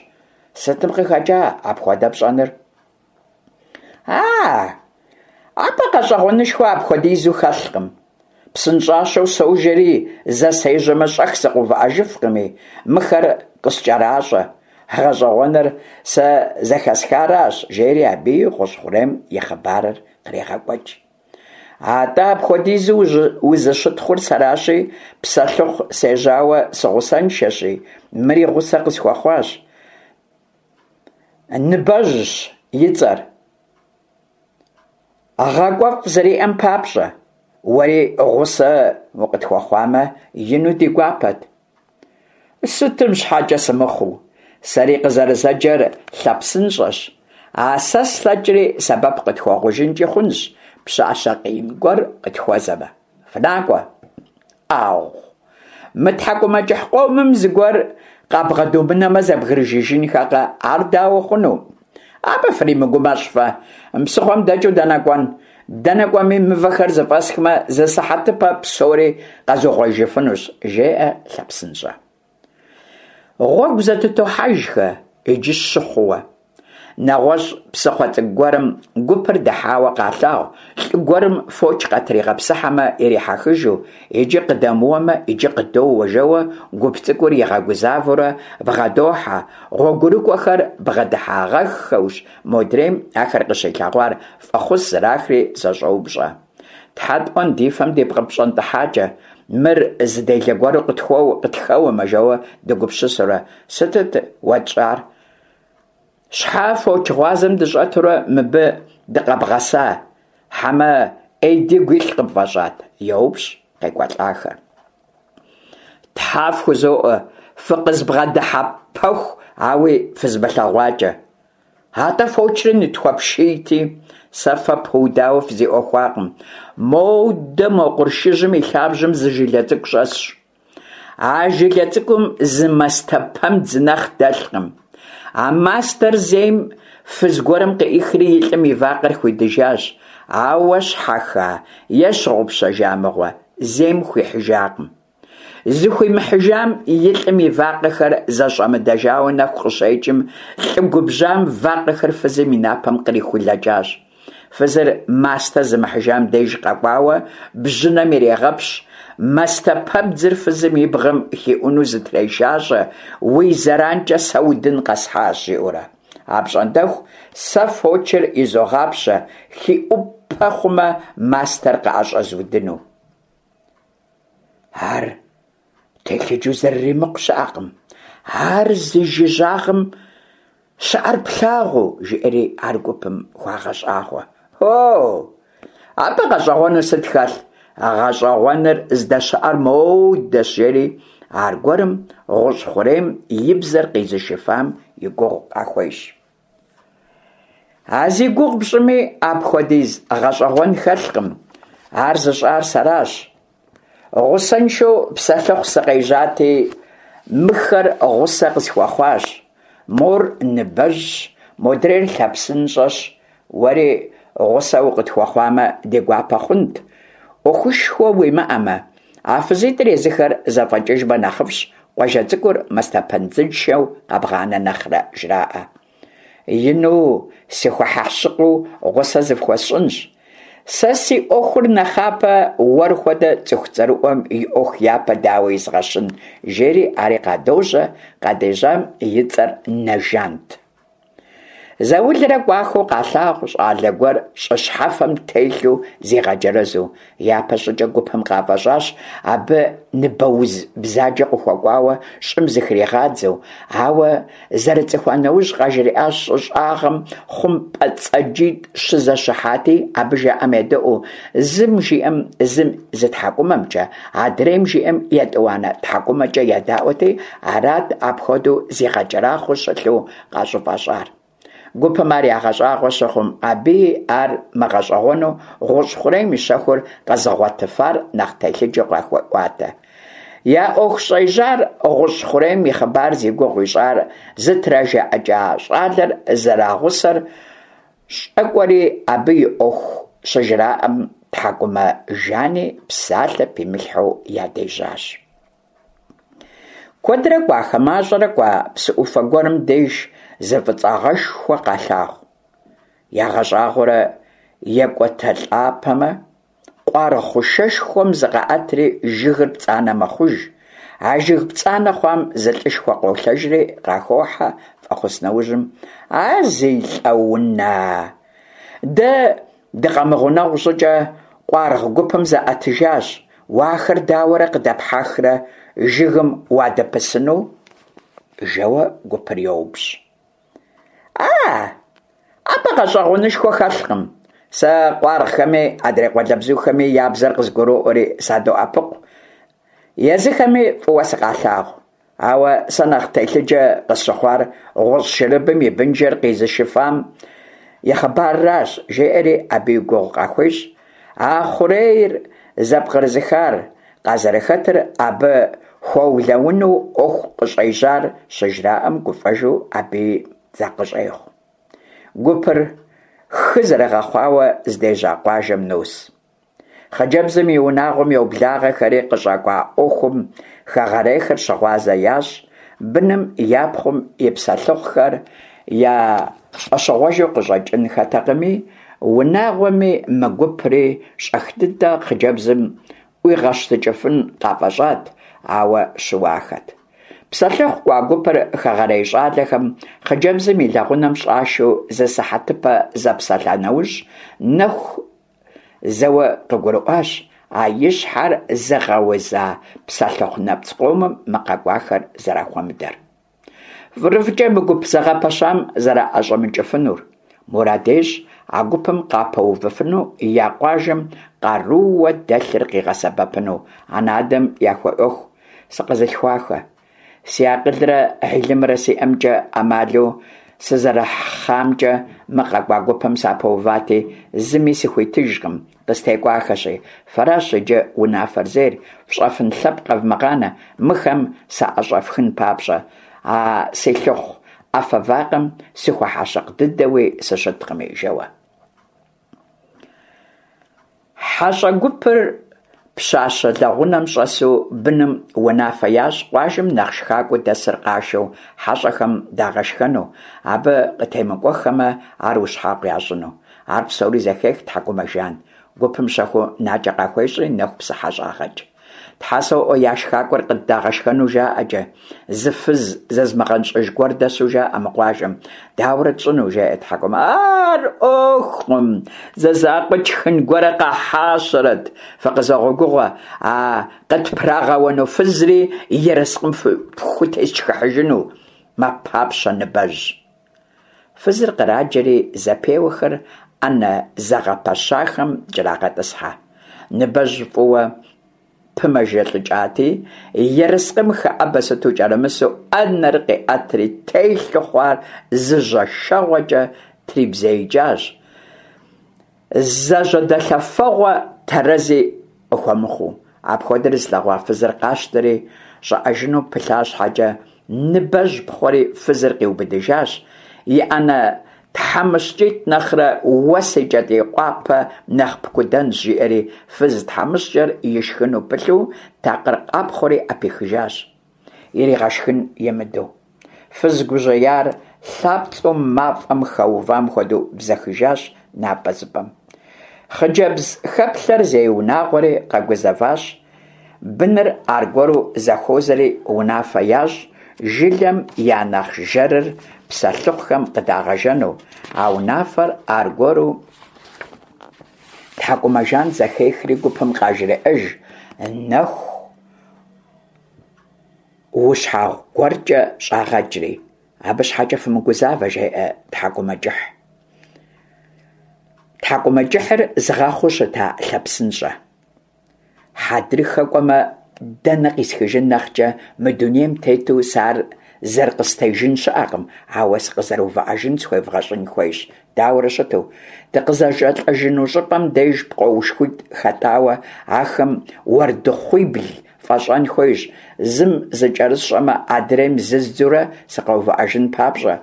Сытым къыхэкӏа апхуэдэ пщӏэныр? А, абы гъэщӏэгъуэнышхуэ апхуэдизу хэлъкъым. Псынщӏащэу сожэри, зэ сежьэмэ, щӏэх сыкъэувыӏэжыфкъыми, мыхэр къыскӏэращӏэ. Гъэщӏэгъуэныр сэ зэхэсхаращ, жери абыи гъущӏ хъурейм и хъыбарыр кърегъэкӏуэкӏ. Атӏэ апхуэдизу узыщытхъур сэращи, псэлъыхъу сежьауэ сыгъусэншэщи, мыри гъусэ къысхуэхъуащ. Ныбэжьщ и цӏэр. Гъакӏуэфӏ зэриӏэм папщӏэ, уэри гъусэ укъытхуэхъуамэ, ину ди гуапэт. Сытым щхьэкӏэ сымыхъуу, сэри къызэрызэджэр Лъэпсынщӏэщ. А сэ слъэкӏри сэбэп къытхуэхъужынкӏи хъунщ, пщащэ къиин гуэр къытхуэзэмэ. Фынакӏуэ! ӏагъу! Мы тхьэкӏумэкӏыхь къомым зыгуэр къабгъэдумынэмэ зэбгрыжыжынхэкъэ, ар дауэ хъуну? Абы фримыгумэщӏ фэ, псыхъуэм дэкӏыу дэнэ кӏуэн? Дэнэ кӏуэми, мывэхэр зэфӏэсхмэ, зы сыхьэтыпэ псори къэзугъуеижыфынущ, жеӏэ Лъэпсынщӏэ. Гъуэгу зэтытохьэжхэ, иджы щы хъууэ. Нэгъуэщӏ псыхъуэ цӏыкӏу гуэрым гупыр дыхьауэ къалъагъу, лӏы гуэрым фоч къатригъэпсыхьэмэ ирихьэхыжу, иджы къыдэмыуэмэ, иджы къыдоуэ жэуэ гуп цӏыкӏур игъэгузавэурэ бгъэдохьэ. Гъуэгурыкӏуэхэр бгъэдыхьагъэххэущ модрейм ахэр къыщилъэгъуар, фӏэхъус зрахри зэщӏоупщӏэ. Тхьэ тӏуэн, ди фэм дипкъыпщӏэнтӏыхьакӏэ, мыр зы делэ гуэру къытхэуэмэ, жэуэ дыгупсысурэ, сытыт уэтщӏар? Щхьэ фоч гъуазэм дыщӏэтурэ мыбы дыкъэбгъэса, хьэмэ ӏей дигу илъ къыпфӏэщӏат? йоупщӏ къекӏуэлӏахэр. Тхьэ фхузоӏуэ, фыкъызбгъэдыхьэпэху ауи фызмылъэгъуакӏэ. Атӏэ фочри нытхуэпшийти, сэ фэ пыудауэ фызиӏуэхуакъым. Модэ мо къуршыжьым и лъабжьэм зы жылэ цӏыкӏу щӏэсщ. А жылэ цӏыкӏум зы мастэпэмыдз нэхъ дэлъкъым. А мастэр зейм фыз гуэрым къыӏихри и лӏым и вакъэр хуидыжащ, ауэ щхьэха е щыгъупщэжа мыгъуэ, зейм хуихьыжакъым. Зыхуимыхьыжам и лӏым и вакъэхэр зэщӏэмыдэжауэ нэху къыщекӏым, лӏы губжьам вакъэхэр фызым и напэм кърихулэкӏащ. Фызыр мастэ зымыхьыжам деж къэкӏуауэ бжьынэм ирегъэпщ, мастэпэбдзыр фызым и бгъэм хиӏуну зытрешащӏэ, уи зэранкӏэ сэ удын къэсхьащ, жиӏэурэ. Апщӏондэху сэ фочыр изогъапщэ, хиӏупэ хъумэ, мастэр къыӏэщӏэзудыну. Ар телъыджэу зэрыримыкъу щыӏэкъым. Ар зи жыжьагъым щыӏэр плъагъуу, жиӏэри ар гупым хуагъэщӏагъуэ. О! Абы гъэщӏэгъуэну сыт хэлъ? Гъэщӏэгъуэныр здэщыӏэр моудэщ, жери аргуэрым гъущӏ хъурейм и бзэр къизышыфам и гугъу къахуещӏ. А зи гугъу пщӏыми апхуэдиз гъэщӏэгъуэн хэлъкъым. Ар зыщӏар сэращ. Гъусэншэу псэлъыхъу сыкъежьати, мыхэр гъусэ къысхуэхъуащ. Мор Ныбэжьщ, модрейр Лъэпсынщӏэщ. Уэри гъусэ укъытхуэхъуамэ, ди гуапэ хъунт. ӏуэхушхуэ уимыӏэмэ, а фызитӏыр езыхэр зэфӏэкӏыжмэ нэхъыфӏщ, къуажэ цӏыкӏур мастэпэмыдзыншэу къэбгъанэ нэхърэ, жраӏэ. Ину сыхуэхьэщыкъыу гъусэ зыфхуэсщӏынщ. Сэ си ӏуэхур нэхъапэ, уэр хуэдэ цӏыху цӏэрыӏуэм и ӏуэху япэ дауэ изгъэщын, жери ари къадожьэ, къадежьам и цӏэр Нэжант. Заулрэ кӏуахэу къалъагъу щӏалэ гуэр щӏы щхьэфэм телъу зигъэджэрэзу. Япэ щӏыкӏэ гупым къафӏэщӏащ абы ныбэуз бзаджэ къыхуэкӏуауэ щӏым зыхригъадзэу, ауэ зэрыцӏыхуа нэужь къажриӏащ щӏы щӏагъым хъумпӏэцӏэджитӏ щызэщыхьати, абы жаӏэм едэӏуу, зым жиӏэм зым зы тхьэкӏумэмкӏэ, адрейм жиӏэм етӏуанэ тхьэкӏумэкӏэ едаӏуэти, арат апхуэдэу зигъэкӏэрахъуэу щылъу къащӏыфӏэщӏар. Гупым ар ягъэщӏагъуэ щыхъум, абыи ар мыгъэщӏэгъуэну гъущӏ хъурейм и щэхур къэзыгъуэтыфар нэхъ телъыджэу къахуеӏуатэ. Я ӏуэху щӏежьар гъущӏ хъурейм и хъыбар зи гугъу ищӏар зытражаӏыкӏа щӏалэр зэрагъусэр щӏэкӏуэри абы и ӏуэху щыжраӏэм Тхьэкӏумэ Жани псалъэ пимылъхьэу ядежьащ. Куэдрэ кӏуахэ, мащӏэрэ кӏуа псы ӏуфэ гуэрым деж зы фӏыцӏагъэшхуэ къалъагъу. Ягъэщӏагъуэрэ екӏуэтэлӏапэмэ, къуаргъ хъушэшхуэм зыкъаӏэтри жыгыр пцӏанэ мэхъуж. А жыг пцӏанэ хъуам зы лӏышхуэ къолъэжри къахохьэ фӏэхъус нэужьым. А зи лӏэуна! Дэ дыкъэмыгъунэгъу щӏыкӏэ къуаргъ гупым заӏэтыжащ. Уэ ахэр дауэрэ къыдэпхьэхрэ жыгым уадэпысыну? Жэуэ гупыр йоупщӏ. А, абы гъэщӏэгъуэнышхуэ хэлъкъым. Сэ къуаргъхэми адрей къуалэбзухэми я бзэр къызгуроӏуэри садоӏэпыкъу. Езыхэми фӏыуэ сыкъалъагъу. Ауэ сэ нэхъ телъыджэ къысщыхъуар гъущӏ шырыбым и бынжэр къизышыфам и хъыбарращ, жеӏэри абы и гугъу къахуещӏ. А хъурейр зэпкърызыхар къазэрыхэтыр абы хуэулэуну ӏуэху къыщӏежьар щыжраӏэм гуфӏэжу абыи закъыщӏехъу. Гупыр. хы зэрыгъэхъуауэ здежьа къуажэм нос. Хъыджэбзым и унагъуэм йоблагъэхэри къыщӏэкӏуа ӏуэхум хэгъэрейхэр щыгъуазэ ящӏ, быным я пхъум и псэлъыхъухэр я щӏэщыгъуэжу къыщӏэкӏынхэтэкъыми, унагъуэми мы гупри щӏэх дыдэ хъыджэбзым ӏуигъэщтыкӏыфын къафӏэщӏат, ауэ щыуахэт. Псэлъыхъу кӏуа гупыр хэгъэрей щӏалэхэм хъыджэбзым и лэгъунэм щӏашэу зы сыхьэтыпэ зэпсэлъа нэужь, Нэху зэуэ къыгурыӏуащ а и щхьэр зыгъэуза псэлъыхъу нэпцӏ къомым мы къэкӏуахэр зэрахуэмыдэр. Фӏырыфӏкӏэ мы гуп зэгъэпэщам зэраӏэщӏэмыкӏыфынур. Мурад ещӏ а гупым къапэувыфыну я къуажэм къарууэ дэлъыр къигъэсэбэпыну, анэ-адэм яхуеӏуэху сыкъэзылъхуахэ. Си акъылрэ хьилымрэ сиӏэмкӏэ ӏэмалу сызэрыхьамкӏэ мы къэкӏуа гупым сапэувати, зыми сыхуитыжкъым, къыстекӏуахэщи. Фэращ иджы унафэр зейр, фщӏэфын лъэпкъ къэвмыгъанэ, мыхэм саӏэщӏэфхын папщӏэ. А си лъыхъу ӏэфэ вакъэм сыхуэхьэщыкъ дыдэуи сыщыткъыми, жэуэ. Хьэщӏэ гупыр пщащэ лэгъунэм щӏэсу быным унафэ ящӏ къуажэм нэхъ шхакӏуэу дэсыр къашэу хьэщӏэхэм дагъэшхэну, абы къытемыкӏуэххэмэ, ар ущхьэгъу ящӏыну. Ар псори зэхех Тхьэкӏумэжан. Гупым щэхуу накӏэ къахуещӏри Нэху псыхьэ щӏагъэкӏ. Тхьэ соӏуэ, я шхакӏуэр къыддагъэшхэну жаӏэкӏэ, зы фыз зызмыгъэнщӏыж гуэр дэсу жаӏэ мы къуажэм. Дауэрэ тщӏыну, жеӏэ Тхьэкӏумэ. Ар ӏуэхукъым, зэ закъуэ тшхын гуэрэ къахьащэрэт, фыкъызогъэгугъэ, а къытпрагъэуэну фызри ерыскъым фхутесшхыхьыжыну, мэпапщэ Ныбэжь. Фызыр къраджэри зэпеуэхэр ӏэнэ зэгъэпэщахэм кӏэрагъэтӏысхьэ. Ныбэжь фӏыуэ пымэжэлӏыкӏати, ерыскъым хэӏэбэ сыту кӏэрымысу ӏэнэр къиӏэтри телъу хъуар зы жьэшэгъуэкӏэ трибзеикӏащ. Зэжьэдэлъэфэгъуэ тэрэзи къыхуэмыхъуу. Апхуэдэр зылъэгъуа фызыр къащтэри, щӏэӏэжыну пылъа щхьэкӏэ, Ныбэжь пхъуэри фызыр къиубыдыжащ, и ӏэнэ тхьэмыщкӏитӏ нэхърэ уэ си кӏэтӏий къуапэ нэхъ пкудэнщ, жиӏэри фыз тхьэмыщкӏэр ишхыну пылъу такъыр къапхъуэри ӏэпихыжащ, иригъэшхын имыдэу. Фыз гужьеяр лъапцӏэу мафӏэм хэувам хуэдэу бзэхыжащ напӏэзыпӏэм. Хъыджэбз хэплъэр зей унагъуэри къэгузэващ, быныр аргуэру зэхуозэри унафэ ящӏ жылэм я нэхъ жэрыр псэлъыхъухэм къыдагъэжэну. А унафэр аргуэру Тхьэкӏумэжан зэхехри гупым къажреӏэж, Нэху ущхьэгъу гуэркӏэ щӏагъэкӏри. Абы щхьэкӏэ фымыгузавэ, жеӏэ Тхьэкӏумэкӏыхь. Тхьэкӏумэкӏыхьыр зыгъэхъуу щыта Лъэпсынщӏэ. Хьэдрыхэ кӏуэмэ, дэнэ къисхыжын нэхъкӏэ, мы дунейм тету сэ ар зэрыкъыстежын щыӏэкъым, ауэ сыкъызэрыувыӏэжын схуевгъэщӏын хуейщ. Дауэрэ щыту? Дыкъызэжэлӏэжыну щӏыпӏэм деж пкъоушхуитӏ хэтӏауэ, ахэм уэрдыхъуибл фӏэщӏэн хуейщ, зым зыкӏэрысщӏэмэ, адрейм зыздзурэ сыкъэувыӏэжын папщӏэ.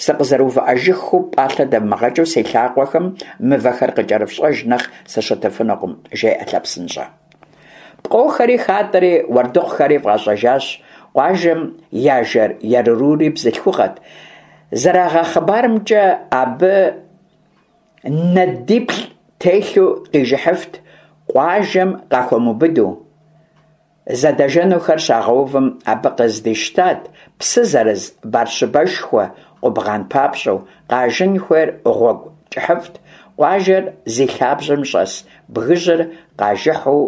Сыкъызэрыувыӏэжыххэу пӏалъэ дэвмыгъэкӏыу си лъакъуэхэм мывэхэр къыкӏэрыфщӏэж нэхъ сыщытыфынукъым, жеӏэ Лъэпсынщӏэ. Пкъохэри хатӏэри уэрдыхъухэри фӏащӏэжащ, къуажэм я жэр ерурури бзылъхугъэт. Зэрагъэхъыбарымкӏэ, абы нэдиплӏ телъу къижыхьыфт, къуажэм къахуэмыубыду. Зэдэжэнухэр щагъэувым абы къыздищтат псы зэрыз барщыбэшхуэ къубгъан папщӏэу, къажын хуейр гъуэгу кӏыхьыфӏт, къуажэр зи лъабжьэм щӏэс бгыжьыр къажыхьу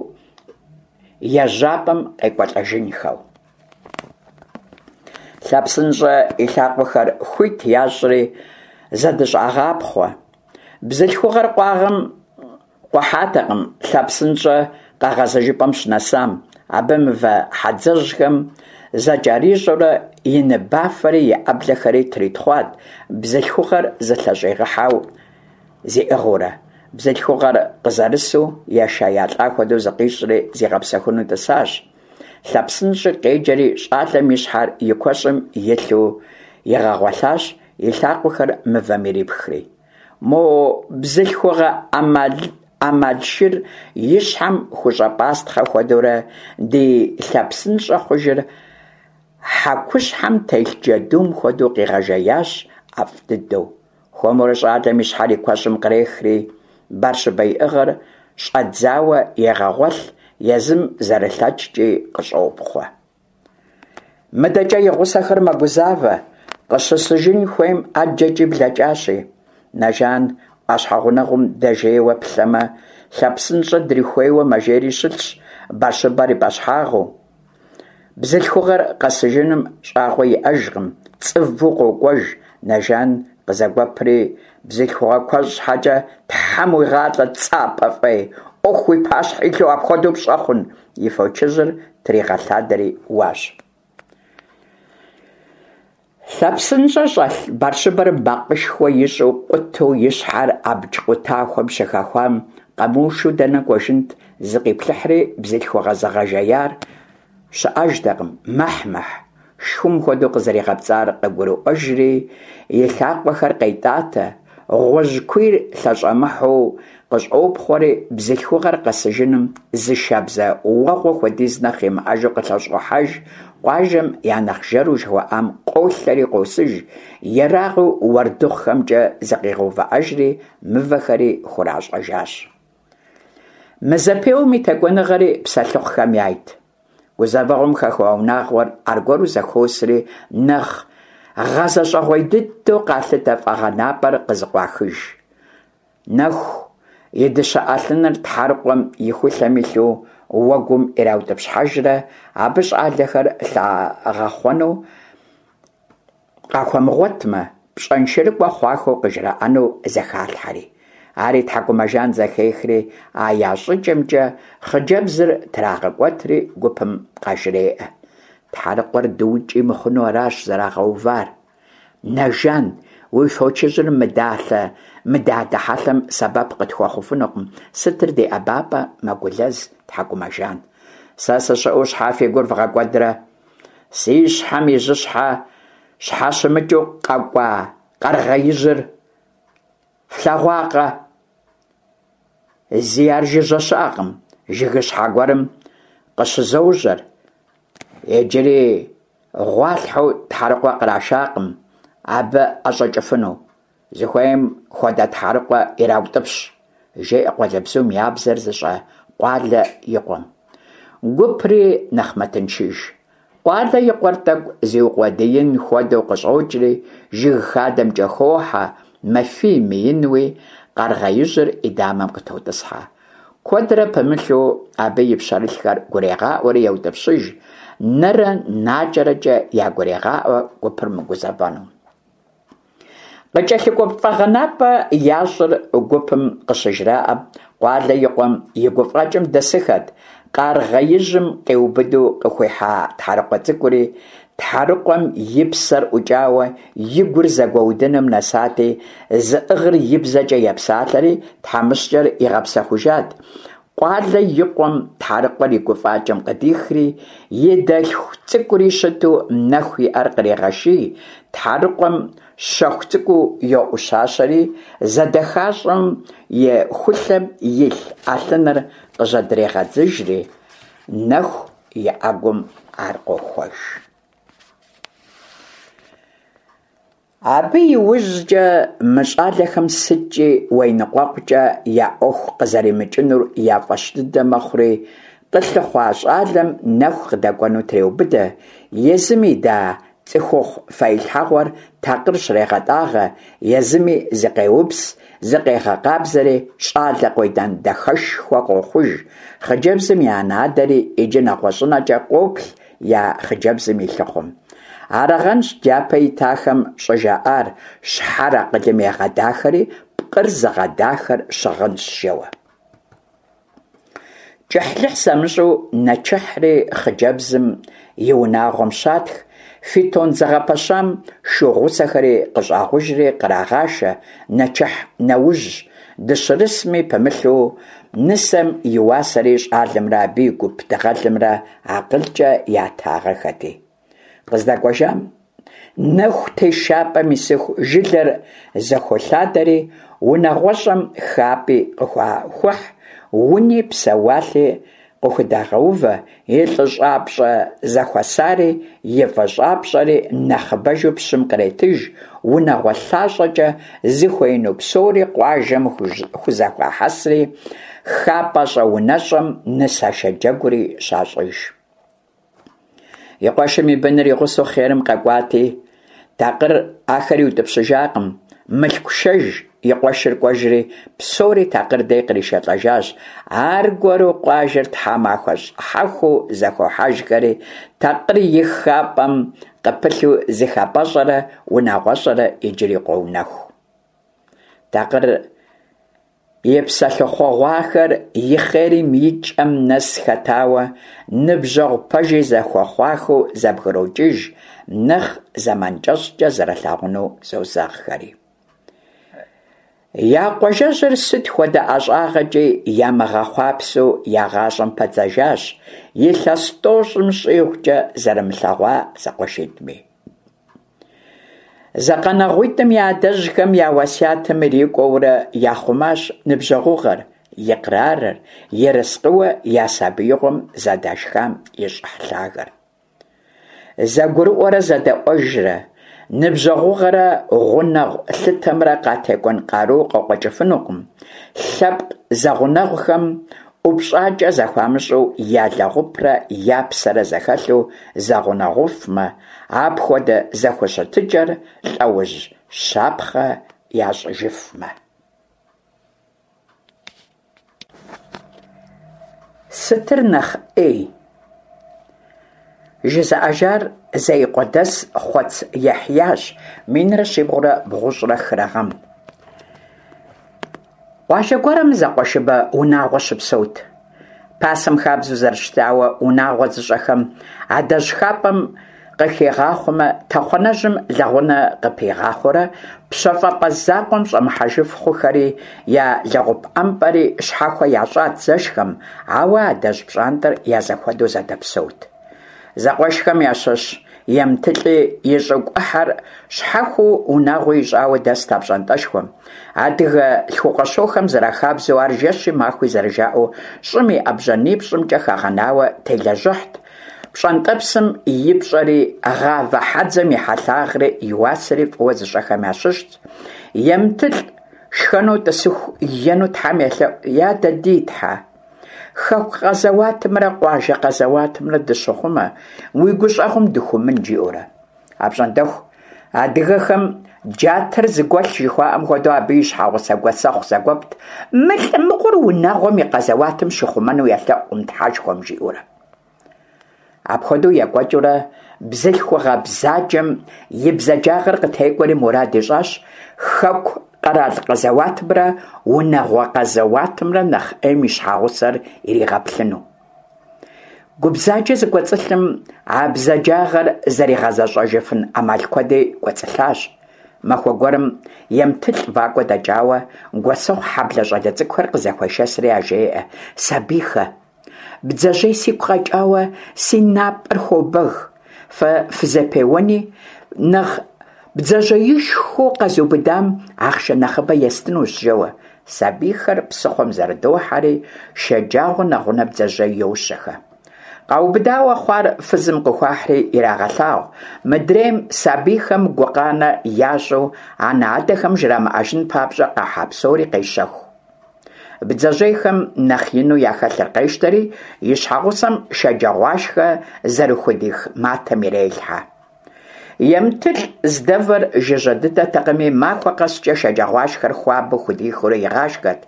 ежьапӏэм къекӏуэлӏэжынхэу. Лъэпсынщӏэ и лъакъуэхэр хуит ящӏри зэдыщӏагъапхъуэ. Бзылъхугъэр къуагъым къухьатэкъым Лъэпсынщӏэ къэгъэзэжыпӏэм щынэсам. Абы мывэ хьэдзэжьхэм зэкӏэрищӏэурэ и ныбафэри и ӏэблэхэри тритхъуат, бзылъхугъэр зылъэщӏигъэхьэу зиӏыгъыурэ. Бзылъхугъэр къызэрысу ешаелӏа хуэдэу зыкъищӏри зигъэпсэхуну тӏысащ. Лъэпсынщӏи къеджэри щӏалэм и щхьэр и куэщӏым илъу игъэгъуэлъащ, и лъакъуэхэр мывэм ирипхри. Мо бзылъхугъэ ӏэмалшыр и щхьэм хущӏэпӏастхъэ хуэдэурэ ди лъэпсынщӏэ хъужыр хьэкущхьэм телъ джэдум хуэдэу къигъэжеящ ӏэфӏ дыдэу. Хуэмурэ щӏалэм и щхьэр и куэщӏым кърехри, Барщыбэ иӏыгъыр щӏэдзауэ егъэгъуэлъ, езым зэрылъэкӏкӏи къыщӏопхъуэ. Мыдэкӏэ и гъусэхэр мэгузавэ, къыщысыжын хуейм ӏэджэкӏи блэкӏащи. Нэжан ӏуащхьэ гъунэгъум дэжейуэ плъэмэ, Лъэпсынщӏэ дрихуейуэ мэжейри щылъщ, Барщыбэр и пӏэщхьагъыу. Бзылъхугъэр къэсыжыным щӏагъуэ иӏэжкъым, цӏыву къокӏуэж, Нэжан къызэгуэпри, бзылъхугъэ куэщӏ щхьэкӏэ Тхьэм уигъалӏэ, цӏапӏэ фӏей, ӏуэху уи пащхьэ илъу апхуэдэу пщӏэ хъун, и фочыжьыр тригъэлъадэри уащ. Лъэпсынщӏэ щӏэлъ барщыбэр макъышхуэ ищӏу къутэу и щхьэр абдж къутахуэм щыхэхуам, къэмыушу дэнэ кӏуэжынт, зыкъиплъыхьри бзылъхугъэ зыгъэжеяр щыӏэжтэкъым, мэхь-мэхь, шхум хуэдэу къызэригъэпцӏар къыгурыӏуэжри, и лъакъуэхэр къетӏатэ, гъуэжькуийр лъэщӏэмыхьэу къыщӏопхъуэри, бзылъхугъэр къэсыжыным зы шабзэ уэгъуэ хуэдиз нэхъ имыӏэжу къылъэщӏохьэж, къуажэм я нэхъ жэру жыхуаӏам къолъэри къосыж, ерагъыу уэрдыхъухэмкӏэ зыкъигъэувыӏэжри, мывэхэри хуращӏэжащ. Мы зэпеуэм и текӏуэныгъэри псэлъыхъухэм яйт. Гузэвэгъуэм хэхуа унагъуэр аргуэру зэхуосри, нэхъ гъэзэщӏэгъуей дыдэу къалъытэ фӏэгъэнапӏэр къызыкъуахыж. Нэху и дыщэ ӏэлъыныр тхьэрыкъуэм и хулъэм илъу уэгум ираутӏыпщхьэжрэ абы щӏалэхэр лъагъэхъуэну къахуэмыгъуэтмэ, пщӏэншэрыкӏуэ хъуахэу къыжраӏэну зэхалъхьэри. Ари Тхьэкӏумэжан зэхехри, а я щӏыкӏэмкӏэ хъыджэбзыр трагъэкӏуэтри гупым къажреӏэ. Тхьэрыкъуэр дыукӏи мыхъуну аращ зэрагъэувар. Нэжан, уи фочыжьыр мы далъэ, мы дадэ хьэлъэм сэбэп къытхуэхъуфынукъым, сытыр ди ӏэбапӏэ, мэгулэз Тхьэкӏумэжан. Сэ сыщыӏэу щхьэ фи гур вгъэкӏуэдрэ? Си щхьэм и жьыщхьэ щхьэщымыкӏыу къэкӏуа къэргъеижьыр флъэгъуакъэ? Зи ар жыжьэ щыӏэкъым, жыгыщхьэ гуэрым къыщызожьэр. Иджыри гъуалъхьэу тхьэрыкъуэ кърашакъым, абы ӏэщӏэкӏыфыну. Зыхуейм хуэдэ тхьэрыкъуэ ираутӏыпщ, жеӏэ къуалэбзум я бзэр зыщӏэ Къуалэ и къуэм. Гупри нэхъ мэтыншыж. Къуалэ и къуэр тӏэкӏу зиукъуэдиин хуэдэу къыщӏокӏри, жыг хадэмкӏэ хохьэ, мэфий-мыинуи, къэргъеижьыр и дамэм къытотӏысхьэ. Куэдрэ пымылъу абы и пщэрылъхэр гурегъаӏуэри еутӏыпщыж, нэрэ накӏэрэкӏэ ягурегъаӏуэ гупыр мыгузэвэну. Къыкӏэлъыкӏуэ фӏэгъэнапӏэ ящӏыр гупым къыщыжраӏэм, Къуалэ и къуэм и гуфӏэкӏым дэсыхэт, къаргъеижьым къиубыду къыхуихьа тхьэрыкъуэ цӏыкӏури, тхьэрыкъуэм и псэр ӏукӏауэ и гур зэгуэудыным нэсати, зыӏыгъыр и бзэкӏэ епсалъэри, тхьэмыщкӏэр игъэпсэхужат. Къуалэ и къуэм тхьэрыкъуэр и гуфӏакӏэм къыдихри, и дэлъху цӏыкӏури щыту Нэху и ӏэр кърегъэший, тхьэрыкъуэм щэху цӏыкӏуу йоӏущащэри, зэдэхащӏэм и хулъэм илъ ӏэлъыныр къыжьэдрегъэдзыжри, Нэху и ӏэгум ар къохуэж. Абы и ужькӏэ мы щӏалэхэм сыткӏи уеныкъуэкъукӏэ я ӏуэху къызэримыкӏынур я фӏэщ дыдэ мэхъури, къылъыхъуа щӏалэм Нэху къыдэкӏуэну треубыдэ, езым ида цӏыхухъу фэилъхьэгъуэр такъыр щрегъэтӏагъэ, езыми зыкъеупс, зыкъегъэкъабзэри, щӏалэ къуедан дахэшхуэ къохъуж, хъыджэбзым и анэ-адэри иджы нэгъуэщӏынэкӏэ къоплъ я хъыджэбзым и лъыхъум. Арагъэнщ дяпэ итахэм щӏыжаӏар, щхьэр акъылым егъэдахэри, пкъыр зыгъэдахэр щыгъынщ, жэуэ. Кӏыхьлӏыхь замыщӏу нэчыхьри хъыджэбзым и унагъуэм щатх, фитон зэгъэпэщам шу гъусэхэри къыщӏагъужри кърагъашэ, нэчыхь нэужь, дыщырысми пымылъу, нысэм и уасэри щӏалэмрэ абы и гуп дыгъэлымрэ акъылкӏэ ятагъэхэти. Къыздэкӏуэжам. Нэху тешапӏэм исыху жылэр зэхолъадэри, унагъуэщӏэм хапӏи къыхуахухь, уни псэуалъи къыхудагъэувэ, и лӏыщӏапщӏэ зэхуэсари, и фӏыщӏапщӏэри нэхъыбэжу пщым къретыж, унагъуэ лъащӏэкӏэ зыхуеину псори къуажэм хузэхуахьэсри, хапӏэщӏэ-унэщӏэм нысашэ джэгури щащӏыж. И къуэшым и быныр и гъусэу хъерым къэкӏуати, Такъыр ахэр иутӏыпщыжакъым. Мылъку шэж и къуэшыр кӏуэжри, псори Такъыр дей къришэлӏэжащ. Аргуэру къуажэр тхьэмахуэ щӏыхьэхуу зэхохьэжхэри, Такъыр и хапӏэм къыпылъу зы хапӏэщӏэрэ унагъуэщӏэрэ иджыри къоунэху. Такъыр И псэлъыхъугъуахэр и хъерым и кӏэм нэс хэтауэ, ныбжьэгъу пэжи зэхуэхъуахэу зэбгрокӏыж, нэхъ зэман кӏэщӏкӏэ зэрылъагъуну зозэгъхэри. Я къуажэжьыр сыт хуэдэ ӏэщӏагъэкӏи ямыгъэхъуапсэу я гъащӏэм падзэжащ илъэс тӏощӏым щӏигъукӏэ зэрымылъэгъуа зэкъуэшитӏми. Зэкъэнэгъуитӏым я адэжьхэм я уэсятым ирикӏуэурэ яхъумащ ныбжьэгъугъэр, икърарыр, ерыскъыуэ я сабиигъуэм зэдашхам и щӏыхь лъагэр. Зэгурыӏуэрэ зэдэӏуэжрэ, ныбжьэгъугъэрэ гъунэгъу лъытэмрэ къатекӏуэн къару къыкъуэкӏыфынукъым, лъэпкъ зэгъунэгъухэм ӏупщӏакӏэ зэхуамыщӏу я лэгъупрэ я псэрэ зэхэлъу зэгъунэгъуфмэ, апхуэдэ зэхущытыкӏэр лӏэужь щапхъэ ящӏыжыфмэ. Сытыр нэхъ ӏей? Жызыӏэжар Зеикъуэдэс Хъуэц Ехьящ, минрэ щибгъурэ бгъущӏрэ хырэ гъэм. Къуажэ гуэрым зэкъуэшыбэ унагъуэ щыпсэут. Пасэм хабзэу зэрыщытауэ, унагъуэ зыщӏэхэм адэжь хапӏэм къыхигъахъуэмэ, тэхъуанэжьым лэгъунэ къыпигъахъуэрэ пщэфӏапӏэ закъуэм щӏэмыхьэжыф хъухэри, я лэгъупӏэмпӏэри щхьэхуэ ящӏат зэшхэм, ауэ адэжь пщӏантӏэр я зэхуэдэу зэдэпсэут. Зэкъуэшхэм ящыщ Емтылӏи и щӏыгу ӏыхьэр щхьэхуэу унагъуэ ищӏауэ дэст а пщӏантӏэшхуэм. Адыгэ лъхукъуэщохэм зэрахабзэу ар жэщи махуи зэрыжаӏэу щӏым и ӏэбжьанипщӏымкӏэ хэгъэнауэ телэжьыхьт. Пщӏэнтӏэпсым и пщӏэри, гъавэ хьэдзэм и хьэлъагъри, и уасэри фӏыуэ зыщӏэхэм ящыщт. Емтылӏ шхэну тӏысыху ену Тхьэм елъэӏу, Я дэ ди Тхьэ! Хэку къэзэуатымрэ къуажэ къэзэуатымрэ дыщыхъумэ, уи гущӏэгъум дыхыумын, жиӏэурэ. Апщӏондэху адыгэхэм джатэр зыгуэлъ жыхуаӏэм хуэдэу абы и щхьэгъусэ Гуэсэхъу зэгуэпт, мы лӏы мыгъуэр унагъуэм и къэзэуатым щихъумэну елъэӏукъым Тхьэшхуэм, жиӏэурэ. Апхуэдэу екӏуэкӏыурэ, бзылъхугъэ бзаджэм и бзаджагъэр къытекӏуэри мурад ищӏащ хэку къэрал къэзэуатымрэ унагъуэ къэзэуатымрэ нэхъ ӏейм и щхьэгъусэр иригъэплъыну. Гу бзаджэ зыкӏуэцӏылъым а бзаджагъэр зэригъэзэщӏэжыфын ӏэмал куэди кӏуэцӏылъащ. Махуэ гуэрым Емтылӏ вакӏуэ дэкӏауэ, Гуэсэхъу хьэблэ щӏалэ цӏыкӏухэр къызэхуешэсри яжреӏэ: Сабийхэ! Бдзэжьей сигу къэкӏауэ си напӏэр хуобэг. Фэ фызэпеуэни, нэхъ бдзэжьеишхуэу къэзубыдам ахъшэ нэхъыбэ естынущ, жэуэ. Сабийхэр псыхъуэм зэрыдохьэри, шэджагъуэ нэгъунэ бдзэжьей йощэхэ. Къаубыдауэ хъуар фызым къыхуахьри ирагъэлъагъу, мыдрейм сабийхэм гукъанэ ящӏу анэ-адэхэм жрамыӏэжын папщӏэ къахьа псори къещэху. Бдзэжьейхэм нэхъ ину яхэлъыр къещтэри, и щхьэгъусэм шэджагъуашхэ зэрыхудих матэм ирелъхьэ. Емтылӏ здэвэр жыжьэ дыдэтэкъыми, махуэ къэскӏэ шэджагъуашхэр хуабэу худихыурэ игъашхэт.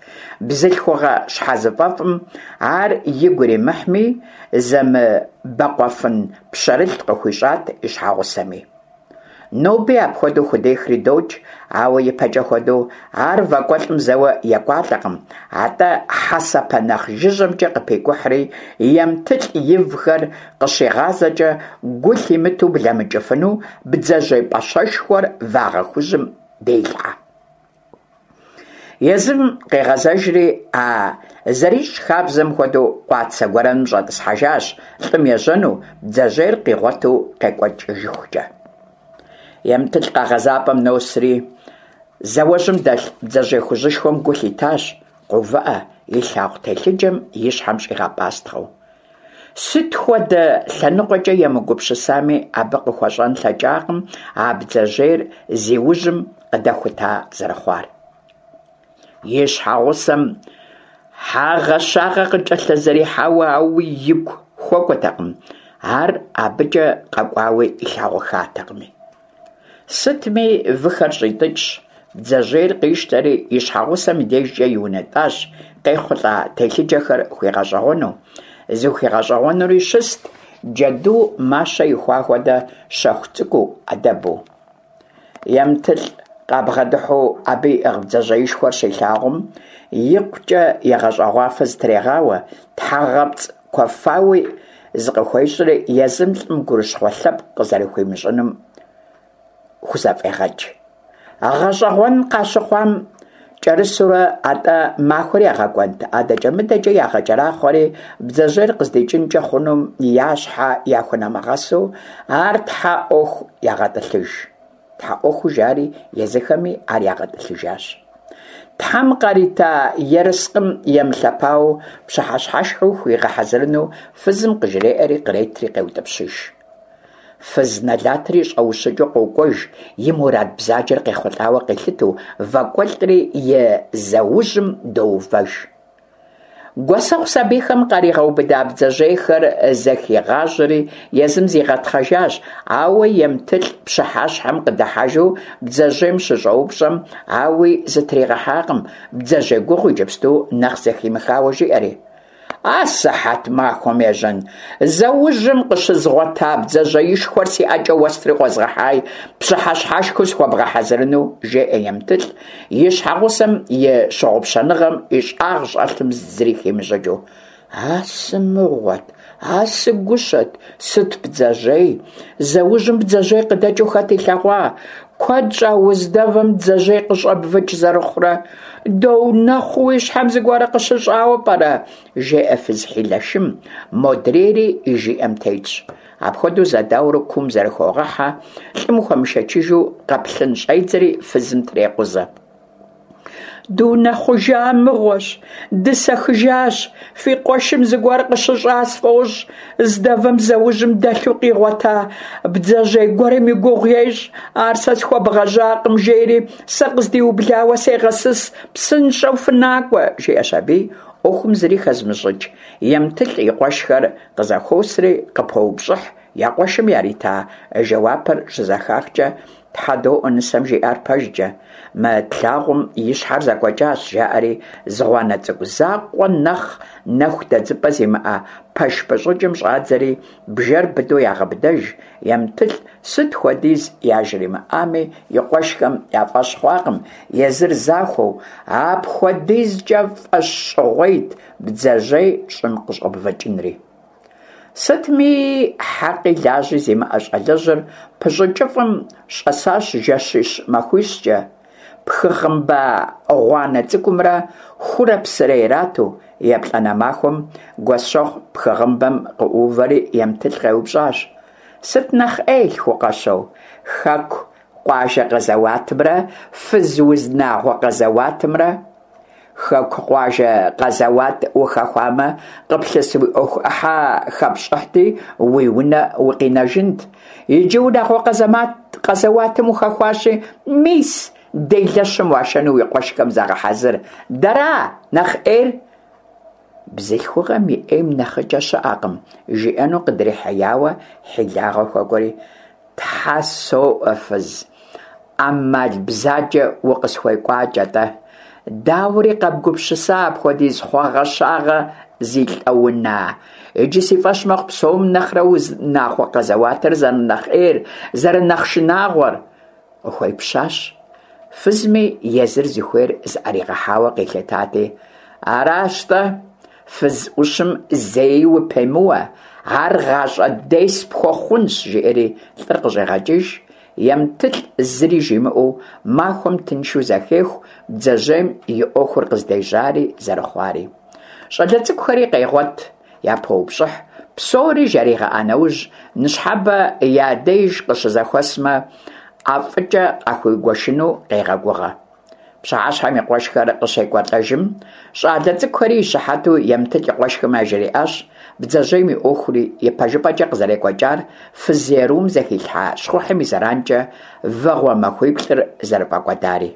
Бзылъхугъэ щхьэзыфӏэфӏым ар игу иримыхьми, зэмыбэкъуэфын пщэрылъ къыхуищӏат и щхьэгъусэми. Ноби апхуэдэу худехри докӏ, ауэ ипэкӏэ хуэдэу ар вакӏуэлӏым зэуэ екӏуалӏэкъым, атӏэ хьэсэпэ нэхъ жыжьэмкӏэ къыпекӏухьри, Емтылӏ ивхэр къыщигъазэкӏэ гу лъимытэу блэмыкӏыфыну бдзэжьей пӏащэшхуэр вагъэ хужьым делъхьэ. Езым къегъэзэжри, а зэрищӏ хабзэм хуэдэу къуацэ гуэрэным щӏэтӏысхьэжащ, лӏым ежьэну, бдзэжьейр къигъуэту къекӏуэкӏыжыхукӏэ. Емтылӏ къэгъэзапӏэм носри, зауэжьым дэлъ бдзэжьей хужьышхуэм гу лъитащ, къоувыӏэ, илъагъу телъыджэм и щхьэм щӏигъэпӏастхъэу. Сыт хуэдэ лъэныкъуэкӏэ емыгупсысами, абы къыхуэщӏэн лъэкӏакъым а бдзэжьейр зи ужьым къыдэхута зэрыхъуар. И щхьэгъусэм хьэгъэщагъэ къыкӏэлъызэрихьауэ ауи игу хуэкӏуэтэкъым, ар абыкӏэ къэкӏуауи илъагъуххатэкъыми. Сытми, выхэр щӏитӏыкӏщ, бдзэжьейр къищтэри, и щхьэгъусэм и дежкӏэ иунэтӏащ, къехъулӏа телъыджэхэр хуигъэщӏэгъуэну. Зыхуигъэщӏэгъуэнури щыст, джэду мащэ ихуа хуэдэ щэху цӏыкӏуу, ӏэдэбу. Емтылӏ къабгъэдыхьэу абы иӏыгъ бдзэжьеишхуэр щилъагъум, икъукӏэ егъэщӏэгъуафэ зытрегъауэ, тхьэгъэпцӏ куэфауи зыкъыхуещӏри, езым лӏым гурыщхъуэ лъэпкъ къызэрыхуимыщӏынум хузэфӏегъэкӏ. Гъэщӏэгъуэн къащыхъуам кӏэрысурэ, атӏэ махуэр ягъэкӏуэнт, адэкӏэ-мыдэкӏэ ягъэкӏэрахъуэри, бдзэжьейр къыздикӏынкӏэ хъунум я щхьэ яхунэмыгъэсу, ар тхьэ ӏуэху ягъэтӏылъыж. Тхьэ ӏуэхуу жари, езыхэми ар ягъэтӏылъыжащ. Тхьэм къарита ерыскъым емылъэпауэу пщыхьэщхьэшхыу хуигъэхьэзырыну фызым къыжреӏэри къретри къеутӏыпщыж. Фыз нэлатри щӏэущыкӏыу къокӏуэж, и мурад бзаджэр къехъулӏауэ къилъытэу, вакӏуэлӏри и зэужьым доувэж. Гуэсэхъу сабийхэм къаригъэубыда бдзэжьейхэр зэхигъажьэри, езым зигъэтхъэжащ, ауэ Емтылӏ пщыхьэщхьэм къыдыхьэжу бдзэжьейм щыщӏэупщӏэм, ауи зытригъэхьакъым, бдзэжьей гугъу иджыпсту нэхъ зэхимыхауэ жиӏэри. А сыхьэт махуэм ежьэн, зэужьым къыщызгъуэта бдзэжьеишхуэр си ӏэкӏэ уэстри къозгъэхьай, пщыхьэщхьэшхыу схуэбгъэхьэзырыну, жеӏэ Емтылӏ, и щхьэгъусэм и щыгъупщэныгъэм и щӏагъ щӏэлъым зыри химыщӏыкӏыу. А сымыгъуэт, а сыгущэт, сыт бдзэжьей? Зэужьым бдзэжьей къыдэкӏыу хэт илъэгъуа? Куэд щӏа уздэвэм бдзэжьей къыщӏэбвыкӏ зэрыхъурэ? Доунэхъуу уи щхьэм зыгуэрэ къыщыщӏауэ пӏэрэ? жеӏэ фыз хьилэшым, модрейри и жиӏэм тетщ. Апхуэдэу зэдауэрэ куум зэрыхогъэхьэ, лӏым хуэмышэчыжу къэплъын щӏедзэри фызым трекъузэ. Дунэхъужа мыгъуэщ, дысэхыжащ, фи къуэшым зыгуэр къыщыщӏа сфӏощӏ, здэвэм зэужьым дэлъу къигъуэта бдзэжьей гуэрым и гугъу ещӏ, ар сэ схуэбгъэжьакъым, жери сэ къыздиублауэ сегъэсыс, псынщӏэу фынакӏуэ, жиӏэщ аби, ӏуэхум зыри хэзымыщӏыкӏ Емтылӏ и къуэшхэр къызэхуосри къыпоупщӏыхь, я къуэшым ярита жэуапыр щызэхахкӏэ, Тхьэ доӏуэ нысэм жиӏар пэжкӏэ, мы тлъагъум и щхьэр зэкӏуэкӏащ, жаӏэри зы гъуанэ цӏыкӏу закъуэ нэхъ нэху дэдзыпӏэ зимыӏэ пэш пыщӏыкӏым щӏадзэри бжэр быдэу ягъэбыдэж, Емтылӏ сыт хуэдиз яжримыӏами, и къуэшхэм я фӏэщ хъуакъым, езыр захуэу, апхуэдизкӏэ фӏэщщӏыгъуейт бдзэжьей щӏым къыщӏэбвыкӏынри. Сытми, хьэкъи лажьи зимыӏэ щӏалэжьыр пыщӏыкӏыфӏым щӏэсащ жэщищ-махуищкӏэ, пхыгъымба гъуанэ цӏыкӏумрэ хурэ псырэ ирату. Еплӏанэ махуэм Гуэсэхъу пхыгъымбэм къыӏуувэри Емтылӏ къеупщӏащ: Сыт нэхъ ӏей, лъхукъэщэу, хэку къуажэ къэзэуатымрэ фыз унагъуэ къэзэуатымрэ? Хэку къуажэ къэзэуат ухэхуамэ, къыплъыс уи ӏуэху ӏыхьэ хэпщӏыхьти, уи унэ укъинэжынт. Иджы унагъуэ къэзэуатым ухэхуащи, мис, делэщым уашэну уи къуэшхэм загъэхьэзыр. Дэра нэхъ ӏейр? Бзылъхугъэм и ӏейм нэхъыкӏэ щыӏэкъым, жиӏэну къыдрихьеяуэ хьилагъэ хуэкӏуэри, Тхьэ соӏуэ, фыз, ӏэмал бзаджэ укъысхуекӏуакӏэ-тӏэ. Дауэри къэбгупсыса апхуэдиз хъуэгъэщагъэ зи лӏэуна? Иджы си фӏэщ мэхъу псом нэхърэ унагъуэ къэзэуатыр зэрынэхъ ӏейр, зэрынэхъ шынагъуэр. Къыхуепщащ. Фызми езыр зыхуейр зыӏэригъэхьауэ къилъытати, аращ-тӏэ, фыз ӏущым зэи упемыуэ, ар гъащӏэ дерс пхуэхъунщ, жиӏэри лӏыр къыщӏегъэкӏыж. Емтылӏ зыри жимыӏэу махуэм тыншу зэхеху бдзэжьейм и ӏуэхур къыздежьари зэрыхъуари. Щӏалэ цӏыкӏухэри къегъуэт, япоупщӏыхь, псори жаригъэӏа нэужь, ныщхьэбэ я деж къыщызэхуэсмэ, ӏэфӏыкӏэ къахуигуэшыну къегъэгугъэ. Пщыхьэщхьэм и къуэшхэр къыщекӏуэлӏэжым, щӏалэ цӏыкӏухэри и щыхьэту Емтылӏ и къуэшхэм яжриӏащ бдзэжьейм и ӏуэхури, ипэжыпӏэкӏэ къызэрекӏуэкӏар фыз ерум зэхилъхьа щхъухьым и зэранкӏэ вэгъуэ махуиплӏыр зэрыфӏэкӏуэдари.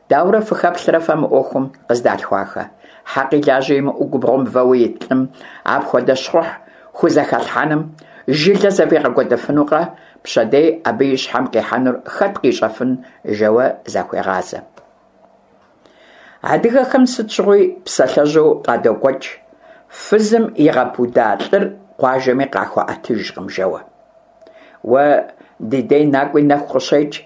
Дауэрэ фыхэплърэ фэ мы ӏуэхум, къыздалъхуахэ? Хьэкъи лажьи имыӏэу губгъуэм вэуэ ит лӏым апхуэдэ щхъухь хузэхэлъхьэным жылэ зэфӏигъэкӏуэдыфынукъэ? Пщэдей абы и щхьэм къихьэнур хэт къищӏэфын? жэуэ захуегъазэ. Адыгэхэм сыт щыгъуи псалъэжьу къадокӏуэкӏ, фызым игъэпуда лӏыр къуажэми къахуэӏэтыжкъым жэуэ. Уэ ди дей накӏуи нэху къыщекӏ,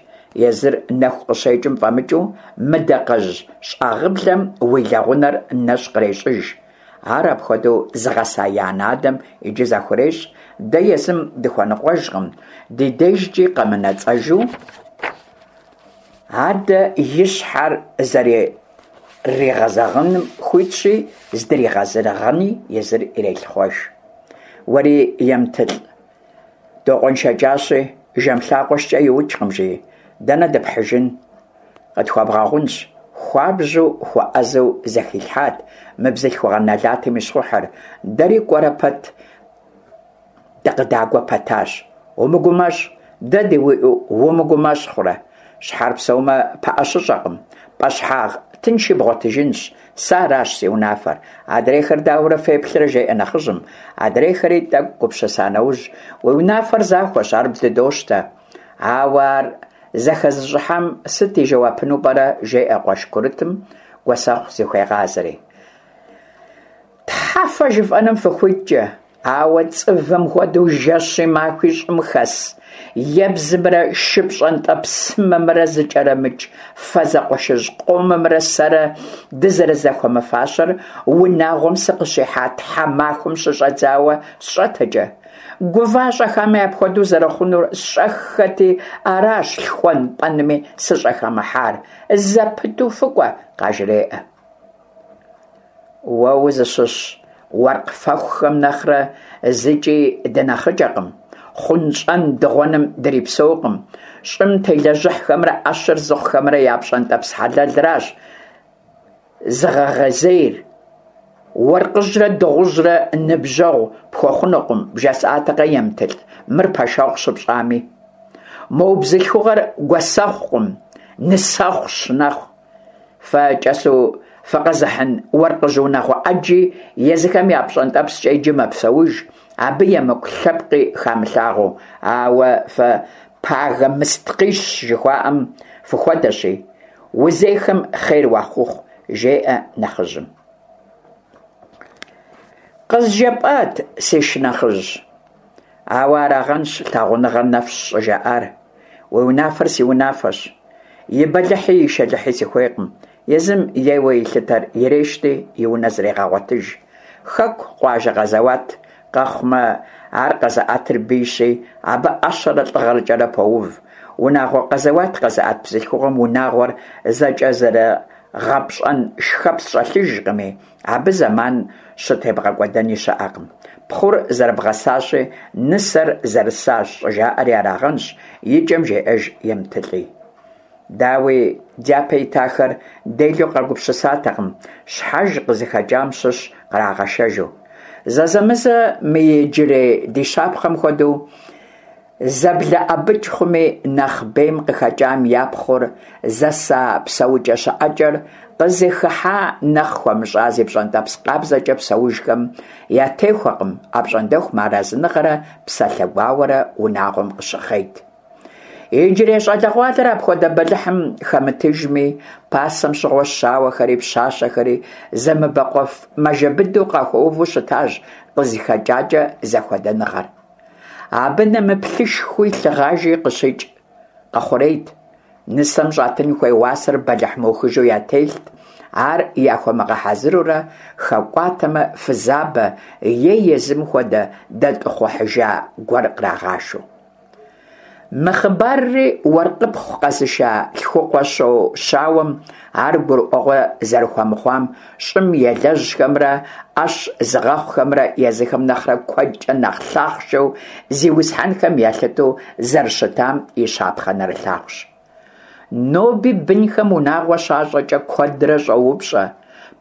езыр нэху къыщекӏым фӏэмыкӏыу мы дакъэжь щӏагъыблэм уи лэгъунэр нэщӏ кърещӏыж. Ар апхуэдэу зыгъэса и анэ-адэм иджы захурещӏ, дэ езым дыхуэныкъуэжкъым, ди дежкӏи къэмынэцӏэжу, адэ и щхьэр зэрыригъэзэгъыным хуитщи, здригъэзэгъыни езыр ирелъыхъуэж. Уэри Емтылӏ, докъуэншэкӏащи, жэм лъакъуэ шкӏэ иукӏкъым, жи, дэнэ дыпхьыжын? Къытхуэбгъэгъунщ, хуабжьу хуэӏэзэу зэхилъхьат мы бзылъхугъэ нэлатым и щхъухьыр, дэри кӏуэрэ пэт дыкъыдагуэ пэтащ. Умыгумэщӏ, дэ дыуиӏэу умыгумэщӏ хъурэ? Щхьэр псэумэ, пыӏэ щыщӏэкъым, пӏэщхьагъ тынши бгъуэтыжынщ, сэ аращ си унафэр. Адрейхэр дауэрэ феплърэ, жеӏэ нэхъыжьым. Адрейхэри тӏэкӏу гупсыса нэужь, уи унафэр захуэщ, ар бдыдощтэ. Ауэ ар зэхэзыщӏыхьам сыт и жэуапыну пӏэрэ, жеӏэ къуэш курытым Гуэсэхъу зыхуегъазэри. Тхьэ фэ жыфӏэным фыхуиткӏэ, ауэ цӏывым хуэдэу жэщи махуи щӏым хэс ебзымрэ шы пщӏэнтӏэпсымэмрэ зыкӏэрымыкӏ фэ зэкъуэшыжь къомымрэ сэрэ дызэрызэхуэмыфащэр унагъуэм сыкъыщихьа тхьэмахуэм щыщӏэдзауэ сщӏэтэкӏэ. Гува-щӏэхами апхуэдэу зэрыхъунур сщӏэххэти, аращ лъхуэн-пӏэнми сыщӏыхэмыхьар. Зэпыту фыкӏуэ, къажреӏэ. Уэ узыщыщ уэркъ фэхухэм нэхърэ зыкӏи дынэхъыкӏэкъым, хъунщӏэн дыгъуэным дрипсэукъым, щӏым телэжьыхьхэмрэ ӏэщыр зыхъухэмрэ я пщӏэнтӏэпс хьэлэлращ зыгъэгъэзейр. Уэркъыжьрэ дыгъужьрэ ныбжьэгъу пхуэхъунукъым, бжесӏатэкъэ, Емтылӏ, мыр пэшэгъу щыпщӏами. Мо бзылъхугъэр гуэсэхъукъым, нысэхъущ нэхъ. Фэ кӏэсу фыкъэзыхьын уэркъыжь унагъуэ ӏэджи езыхэм я пщӏэнтӏэпскӏэ иджы мэпсэуж, абы емыкӏу лъэпкъи хамылъагъуэу, ауэ фэ пагэ мысткъищ жыхуаӏэм фыхуэдэщи, узейхэм хъер уахухъу, жеӏэ нэхъыжьым. Къызжепӏат, си шынэхъыжь, ауэ арагъэнщ лъагъуныгъэр нэфщ щӏыжаӏар. Уи унафэр си унафэщ. И бэлыхьи и шэлыхьи сыхуейкъым. Езым ейуэ илъытэр ирещти, и унэ зрегъэгъуэтыж. Хэку, къуажэ къэзэуат къэхъумэ, ар къэзыӏэтыр бийщи, абы ӏэщэрэ лӏыгъэкӏэрэ поув. Унагъуэ къэзэуат къэзыӏэт бзылъхугъэм унагъуэр зэкӏэзырыгъэпщӏэн шхэпс щӏэлъыжкъыми, абы зэман щытебгъэкӏуэдэни щыӏэкъым. Пхъур зэрыбгъэсащи, нысэр зэрысащ щӏыжаӏэри арагъэнщ, и кӏэм жеӏэж Емтылӏи. Дауи, дяпэ итахэр делэу къагупсысатэкъым, щхьэж къызыхэкӏам щыщ кърагъэшэжу. Зэзэмызэ мы иджырей ди щапхъэм хуэдэу зэблэӏэбыкӏ хъуми, нэхъ бейм къыхэкӏам я пхъур зэса псэукӏэ-щыӏэкӏэр къызыхыхьа нэхъ хуэмыщӏа зи пщӏэнтӏэпс къабзэкӏэ псэужхэм ятехуэкъым, апщӏондэху мыарэзыныгъэрэ псалъэ гуауэрэ унагъуэм къыщыхъейт. Иджырей щӏалэгъуалэр апхуэдэ бэлыхьым хэмытыжми, пасэм щыгъуэ щауэхэри пщащэхэри зэмыбэкъуэф мажэ быдэу къахуэуву щытащ къызыхэкӏакӏэ зэхуэдэныгъэр. Абы нэмыплъышхуи лъыгъажи къыщикӏ къэхъурейт. Нысэм щӏатын хуей уасэр бэлыхь мыухыжу ятелът, ар яхуэмыгъэхьэзырурэ хэкӏуатэмэ фызабэ е езым хуэдэ дэтӏыхъухьыжа гуэр кърагъашэу. Мы хъыбарри уэркъыпхъу къэзыша Лъхукъуэщо щауэм ар гурыӏуэгъуэ зэрыхуэмыхъуам, щӏым елэжьхэмрэ ӏэщ зыгъэхъухэмрэ езыхэм нэхърэ куэдкӏэ нэхъ лъахъшэу зиусхьэнхэм ялъытэу зэрыщытам и щапхъэ нэрылъагъущ. Ноби бынхэм унагъуэ щащӏэкӏэ куэдрэ щӏоупщӏэ,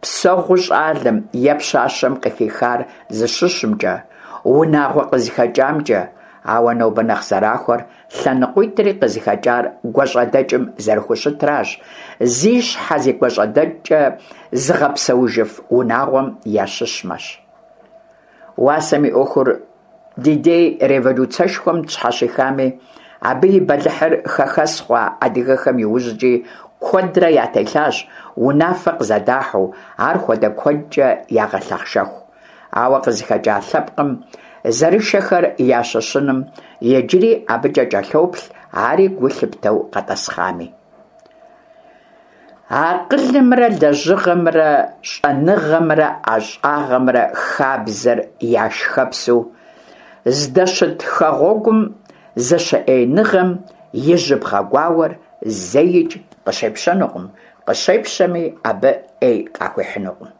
псэгъуу щӏалэм е пщащэм къыхихар зыщыщымкӏэ, унагъуэ къызыхэкӏамкӏэ, ауэ нобэ нэхъ зэрахуэр лъэныкъуитӏри къызыхэкӏар гуащӏэдэкӏым зэрыхущытращ, зи щхьэ зи гуащӏэдэкӏкӏэ зыгъэпсэужыф унагъуэм ящыщмэщ. Уасэм и ӏуэхур ди дей революцэшхуэм тщхьэщихами, абы и бэлыхьыр хэхэс хъуа адыгэхэм иужькӏи куэдрэ ятелъащ, унафэ къызэдахьу, ар хуэдэ куэдкӏэ ягъэлъэхъшэху. Ауэ къызыхэкӏа лъэпкъым зэрышэхэр ящыщыным иджыри абыкӏэ кӏэлъоплъ, ари гу лъыптэу къэтӏэсхъами. Акъылымрэ лэжьыгъэмрэ, щӏэныгъэмрэ ӏэщӏагъэмрэ хабзэр я шхэпсу здэщыт хэгъуэгум зэщыӏеиныгъэм и жьыбгъэ гуауэр зэикӏ къыщепщэнукъым, къыщепщэми абы ӏей къахуихьынукъым.